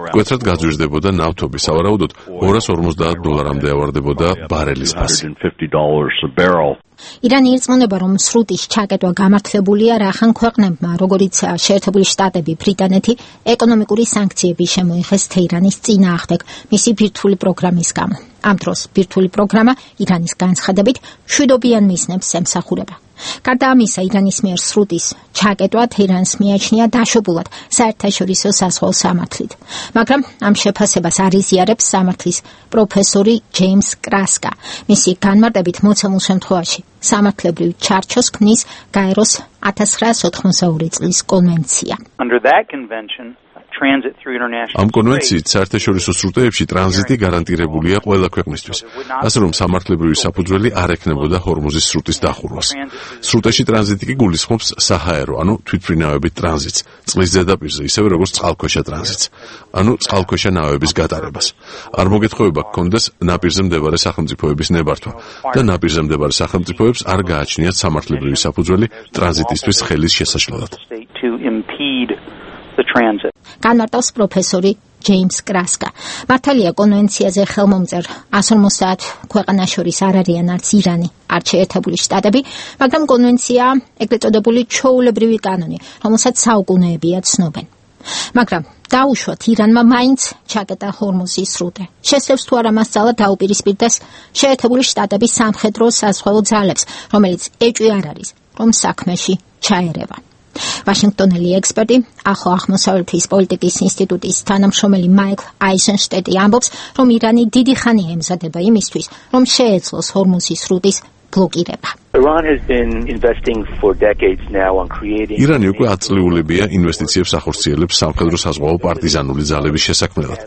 მკვეთრად გაძვირდებოდა ნავთობი, სავარაუდოდ $250-მდე ავარდებოდა ბარელის ფასი. ირანი ირწმუნება, რომ სრუტის ჩაკეტვა გამართლებულია რახან ქვეყნებმა, როგორიც შეერთებული შტატები, ბრიტანეთი, ეკონომიკური სანქციები შემოიღეს თეირანის წინააღმდეგ მისი ბირთვული პროგრამის გამო. ამ დროს ბირთვული პროგრამა ირანის განცხადებით მშვიდობიან მიზნებს ემსახურება. გარდა ამისა, ირანის მიერ სრუტის ჩაკეტვა თეირანს მიაჩნია დაშვებულად საერთაშორისო საზღვაო სამართლით. მაგრამ ამ შეფასებას არ იზიარებს სამართლის პროფესორი ჯეიმს კრასკა. მისი განმარტებით მოცემულ შემთხვევაში სამართლებრივ ჩარჩოს ქმნის გაეროს 1982 წლის კონვენცია. ამ კონვენციით საერთაშორისო სრუტეებში ტრანზიტი გარანტირებულია ყველა ქვეყნისთვის, ასე რომ სამართლებრივი საფუძველი არ ექნებოდა ჰორმუზის სრუტის დახურვას. სრუტეში ტრანზიტი კი გულისხმობს საჰაერო, ანუ თვითმფრინავებით ტრანზიტს, წყლის ზედაპირზე, ისევე როგორც წყალქვეშა ტრანზიტს, ანუ წყალქვეშა ნავების გატარებას. არ მოგეთხოვება გქონდეს ნაპირზე მდებარე სახელმწიფოების ნებართვა და ნაპირზე მდებარე სახელმწიფოებს არ გააჩნიათ სამართლებრივი საფუძველი ტრანზიტისთვის ხელის შესაშლელად. განმარტავს პროფესორი ჯეიმს კრასკა. მართალია კონვენციაზე ხელმომწერ 150 ქვეყანას შორის არ არიან არც ირანი, არც შეერთებული შტატები, მაგრამ კონვენცია ეგრეთ წოდებული ჩვეულებრივი კანონი, რომელსაც საუკუნეებია ცნობენ. მაგრამ დაუშვათ ირანმა მაინც ჩაკეტა ჰორმუზის სრუტე. შესწევს თუ არა მასწავლა დაუპირისპირდეს შეერთებული შტატების სამხედრო საზღვაო ძალებს, რომელიც ეჭვი არ არის, რომ საქმეში ჩაერევა. ვაშინგტონელი ექსპერტი, ახლო აღმოსავლეთის პოლიტიკის ინსტიტუტის თანამშრომელი მაიკლ აიზენშტეტი ამბობს, რომ ირანი დიდი ხანია ემზადება იმისთვის, რომ შეეძლოს ჰორმუზის სრუტის ბლოკირება. ირანი უკვე 10 წლიულებია ინვესტიციებს ახორციელებს სამხედრო საზღვაო პარტიზანული ძალების შესაქმნელად,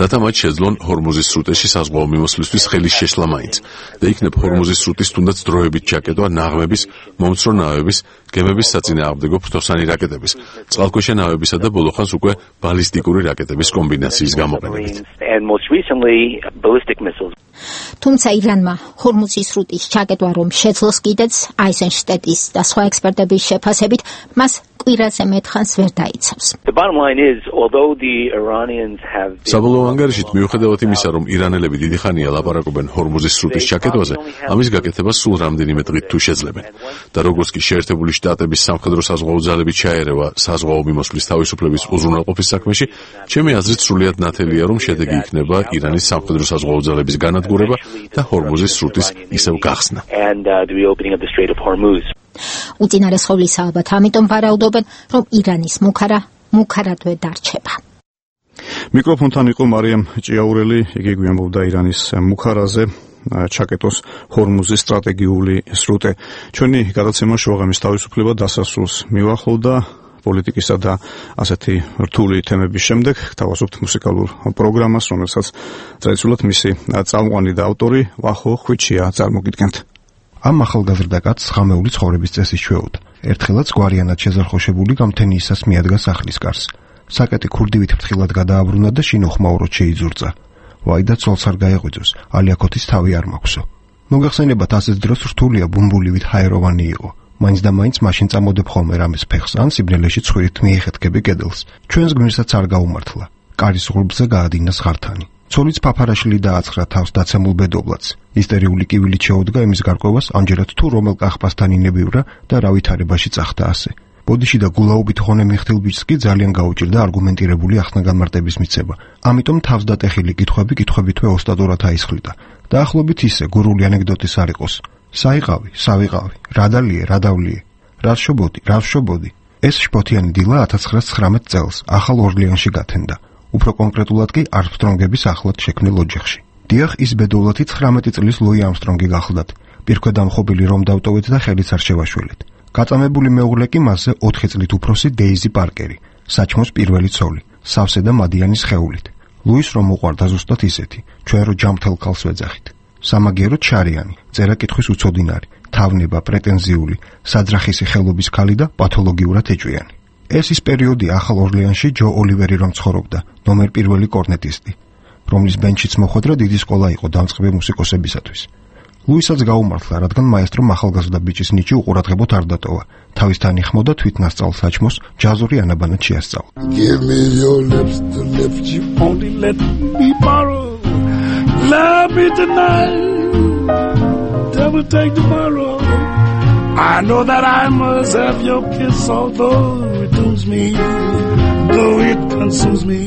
რათა მათ შეძლონ ჰორმუზის სრუტეში საზღვაო მიმოსვლისთვის ხელის შეშლა მაინც და იქნებ ჰორმუზის სრუტის თუნდაც დროებით ჩაკეტვა ნაღმების, მომცრო ნავების, გემების საწინააღმდეგო ფრთოსანი რაკეტების, წყალქვეშა ნავებისა და ბოლოხანს უკვე ბალისტიკური რაკეტების კომბინაციის გამოყენებით. თუმცა ირანმა ჰორმუზის სრუტის ჩაკეტვა რომ შეძლოს კიდეც აიზენშტეტის და სხვა ექსპერტების შეფასებით, მას კვირაზე მეტხანს ვერ დაიცავს. საბოლოო ანგარიშით მიუხედავად იმისა, რომ ირანელები დიდი ხანია ლაპარაკობენ ჰორმუზის სრუტის ჩაკეტვაზე, ამის გაკეთება სულ რამდენიმე დღით თუ შეძლებენ. და როგორც კი შეერთებული შტატების სამხედრო საზღვაო ძალები ჩაერევა საზღვაო მიმოსვლის თავისუფლების უზრუნველყოფის საქმეში, ჩემი აზრით სრულიად ნათელია, რომ შედეგი იქნება ირანის სამხედრო საზღვაო ძალების განადგურება და ჰორმუზის სრუტის ისევ გახსნა. უწინარესხოვლისა ალბათ ამიტომ ვარაუდობენ, რომ ირანის მუქარადვე დარჩება. მიკროფონთან იყო მარიამ ჭიაურელი, იგი გვიამბობდა ირანის მუქარაზე ჩაკეტოს ჰორმუზის სტრატეგიული სრუტე. ჩვენი გადაცემა შუაღამის თავისუფლება დასასრულს მივახლოვდა. პოლიტიკისა და ასეთი რთული თემების შემდეგ გთავაზობთ მუსიკალურ პროგრამას, რომელსაც ტრადიციულად მისი წამყვანი და ავტორი ვახო ხვიჩია წარმოგიდგენთ. ამ ახალგაზრდა კაცს ღამეული ცხოვრების წესის ჩვეუდა. ერთხელაც გვარიანად შეზარხოშებული გამთენიისას მიადგა სახლის კარს. საკეტი ქურდივით ფრთხილად გადააბრუნა და შინოხმაუროდ შეიძურწა. ვაი და ცოლს არ გაეღვიძოს, ალიაქოთის თავი არ მაქვსო. მოგახსენებათ, ასეთ დროს რთულია ბუმბულივით ჰაეროვანი იყო. მაინც და მაინც მაშინ წამოდებ ხოლმე რამეს ფეხს ან სიბნელეში ცხვირით მიეხეთქები კედელს. ჩვენს გმირსაც არ გაუმართლა. კარის ღრუბლზე გაადინა ზღართანი. ცოლიც ფაფარაშილი დააცხრა თავს დაცემულ ბედობლადს. ისტერიული კივილით შეუდგა იმის გარკვევას, ამჯერად თუ რომელ კახპასთან ინებივრა და რა ვითარებაში წახდა ასე. ბოდიში და გულაობით ხონე მიხთილ ბიჭს კი ძალიან გაუჭირდა არგუმენტირებული ახსნა-განმარტების მიცემა. ამიტომ თავს დატეხილი კითხვებითვე ოსტატურად აისხლიდა. დაახლოებით ისე გურული ანეკდოტის არ იყოს. საიყავი, სავიყავი, რა დალიე, რა დავლიე, რა ვშობოდი. ეს შპოთიანი დილა 1919 წელს ახალ ორლეანში გათენდა. უფრო კონკრეტულად კი არმსტრონგების ახლად შექმნილ ოჯახში. დიახ, ის ბედოვლათი 19 წლის ლუი არმსტრონგი გახლდათ. პირქვედამხობილი რომ დავტოვეთ და ხელიც არ შევაშველეთ. გაწამებული მეუღლე კი მასზე 4 წლით უფროსი დეიზი პარკერი, საჩმოს პირველი ცოლი, სავსე და მადიანი სხეულით. ლუის რომ უყვარდა ზუსტად ისეთი, ჩვენ რო ჯამთელ ქალს ვეძახით. სამაგიეროდ შარიანი, წერა-კითხვის უცოდინარი, თავნება, პრეტენზიული, საძრახისი ხელობის ქალი და პათოლოგიურად ეჭვიანი. ეს ის პერიოდი ახალ ორლეანში ჯო ოლივერი რომ ცხოვრობდა, ნომერ პირველი კორნეტისტი, რომლის ბენჩიც მოხვედრა დიდი სკოლა იყო დამწყები მუსიკოსებისათვის. ლუისაც გაუმართლა, რადგან მაესტრომ ახალგაზრდა ბიჭის ნიჭი უყურადღებოდ არ დატოვა. თავისთან იხმოდა თვითნასწავლ საჩმოს ჯაზური ანაბანად შეასწავლა. Give me your lips to lips, you only let me borrow. Love me tonight, devil take tomorrow. I know that I must have your kiss, although it dooms me, though it consumes me.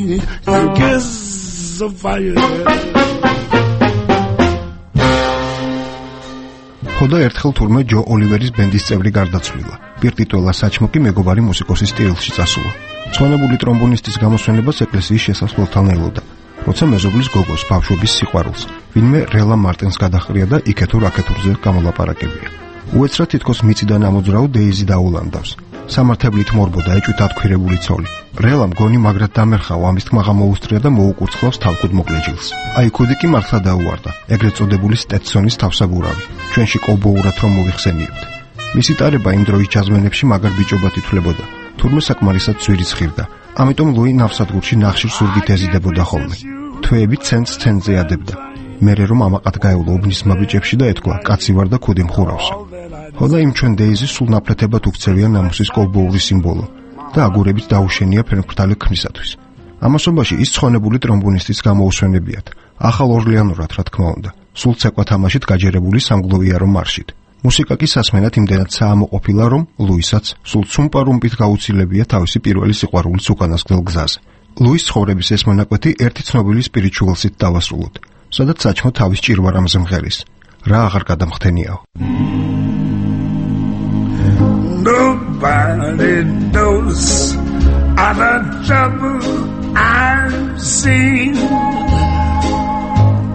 Your kiss of fire. ხოდა ერთხელ თურმე ჯო ოლივერის ბენდის წევრი გარდაცვლილა. პირტიტველა საჩმო კი მეგობარი მუსიკოსის სტილში წასულა. მწვანებული ტრომბონისტის გამოსვენებას ეკლესიის შესასვლელთან ელოდა. როცა მეზობლის გოგოს ბავშვობის სიყვარულს, ვინმე რელა მარტინს გადახრია და იქეთურ აქეთურზე გამოლაპარაკებია. უეცრად თითქოს მიწიდან ამოძრავ დეიზი დაულანდავს. სამართებლით მორბოდა ეჭვით ათქვირებული ცოლი. რელამ გონი მაგრად დამერხავა ამის თქმა გამოუსწრია და მოუკურცხლავს თავკუდ მოკლეჯილს. აი ქუდი კი მართლა დაუვარდა, ეგრეთ წოდებული სტეტსონის თავსაბურავი. ჩვენში კოვბოურად რომ მოვიხსენიებთ. მისი ტარება იმ დროის ჯაზმენებში მაგარ ბიჭობად ითვლებოდა. თურმე საკმარისად ძვირი ცხირდა. ამიტომ ლუი ნავსადგურში ნახშირ სურგით ეზიდებოდა ხოლმე. თვეები ცენზე ადებდა. მერე რომ ამაყად გაეულა უბნისმა ბიჭებში და ეთქვა, კაცი ვარ და ქუდი მხურავსო. ხოდა იმ ჩვენ დეიზი სულ ნაფლეთებად უქცევია ნამუსის კოვბოური სიმბოლო და აგურებით დაუშენია ფერმფრთალი ქმნისათვის. ამასობაში ის ცხონებული ტრომბონისტის გამოუსვენებიათ, ახალ ორლეანურად რა თქმა უნდა, სულ ცეკვა თამაშით გაჯერებული სამგლოვიარო მარშით. მუსიკა კი სასმენად იმდენად საამოყოფილა, რომ ლუისაც სულ ცუმპარუმპით გაუცილებია თავისი პირველი სიყვარულის უკანასკნელ გზაზე. ლუის ცხოვრების ეს მონაკვეთი ერთი ცნობილი სპირიჩუალსით დავასრულოთ, სადაც საჩმო თავის ჭირვარამზე მღერის. რა აღარ გადამხდენიაო. Nobody knows all the trouble I've seen.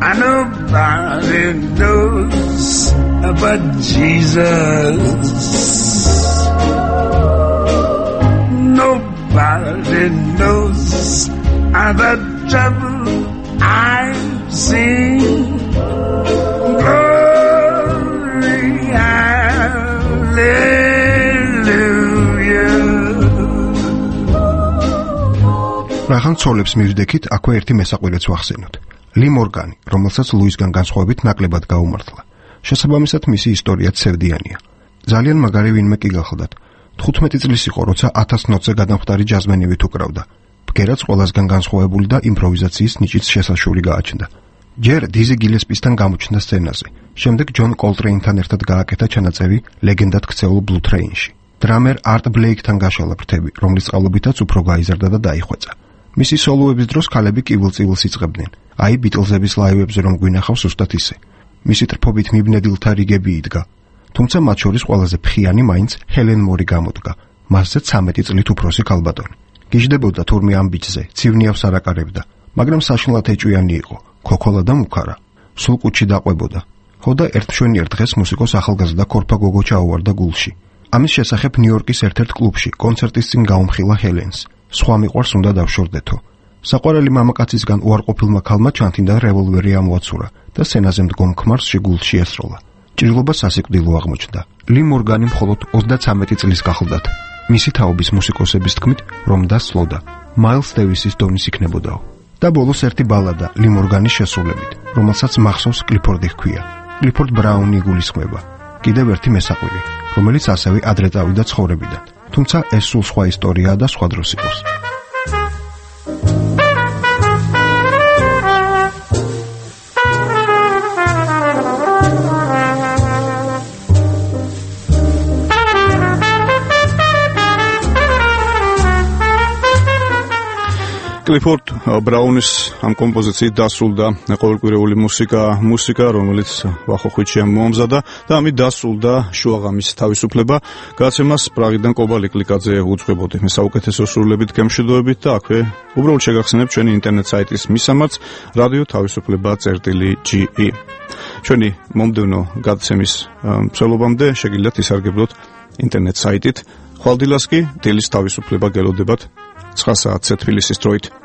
And nobody knows but Jesus. Nobody knows all the trouble I've seen. Glory, hallelujah. რახან ცოლებს მივდექით, აქვე ერთი მესაყვირეც ვახსენოთ. ლი მორგანი, რომელსაც ლუისგან განსხვავებით ნაკლებად გაუმართლა. შესაბამისად მისი ისტორიაც სევდიანია. ძალიან მაგარი ვინმე კი გახლდათ. 15 წლის იყო, როცა 1000 ნოტზე გადამხდარი ჯაზმენივით უკრავდა. ბგერაც ყველასგან განსხვავებული და იმპროვიზაციის ნიჭიც შესაშური გააჩნდა. ჯერ დიზი გილესპისთან გამოჩნდა სცენაზე. შემდეგ ჯონ კოლტრეინთან ერთად გააკეთა ჩანაწერი ლეგენდად ქცეულ ბლუ ტრეინში. დრამერ არტ ბლეიკთან გაშალა ფრთები, რომლის წყალობითაც უფრო გაიზარდა და დაიხვეწა. მისი სოლოების დროს ქალები კივილ-წივილს იწყებდნენ. აი ბიტლზების ლაივებზე რომ გვინახავს უსტად ისე. მისი ტრფობით მიბნედილთა რიგები იდგა. თუმცა მათ შორის ყველაზე ფხიანი მაინც ჰელენ მორი გამოდგა. მასზე 13 წლით უფროსი ქალბატონი. გიждდებოდა თურმე ამ ბიჭზე, ცივნიავს არ აკარებდა, მაგრამ საშინლად ეჭვიანი იყო, ქოქოლა და მუქარა. სულ კუჩი დაყვებოდა. ხოდა ერთშვენიერ დღეს მუსიკოს ახალგაზრდა კორფა გოგო ჩაუვარდა გულში. ამის შესახებ ნიუ-იორკის ერთ-ერთ კლუბში კონცერტის წინ გაუმხილა ჰელენს. სხვა მიყვარს უნდა დავშორდეთო. საყვარელი მამაკაცისგან უარყოფილმა ქალმა ჩანთინდა რევოლვერი ამოაცურა და სცენაზე მდგომ ქმარს შეგულში ესროლა. ჭრილობა სასიკვდილო აღმოჩნდა. ლი მორგანი მხოლოდ 33 წლის გახლდათ. მისი თაობის მუსიკოსების თქმით, რომ დასლოდა, მაილს დევისის დონის იქნებოდაო. და ბოლოს ერთი ბალადა ლი მორგანის შესრულებით, რომელსაც მახსოვს კლიფორდი ჰქვია. კლიფორდ ბრაუნი იგულისხმება. კიდევ ერთი მესაყვილი, რომელიც ასევე ადრე წავიდა ცხოვრებიდან. თუმცა ეს სულ სხვა ისტორიაა და სხვა დროს იყოს. კლიფორდ ბრაუნის ამ კომპოზიციით დასრულდა ყოველკვირეული მუსიკა, რომელიც ვახოხვიჩიამ მოამზადა და ამით დასრულდა შუაღამის თავისუფლება. გაცემას პრაღიდან კობა ლიკლიკაძე უძღვებოდი. მე საუკეთესო სრულებით გემშვიდობებით და აქვე უბრალოდ შეგახსენებთ ჩვენი ინტერნეტ საიტის მისამართს radio-ge. ჩვენი მომდევნო გაცემის მსვლელობამდე შეგიძლიათ ისარგებლოთ ინტერნეტ საიტით. ხვალდილას კი დილის თავისუფლება გელოდებათ 9 საათზე თბილისის დროით.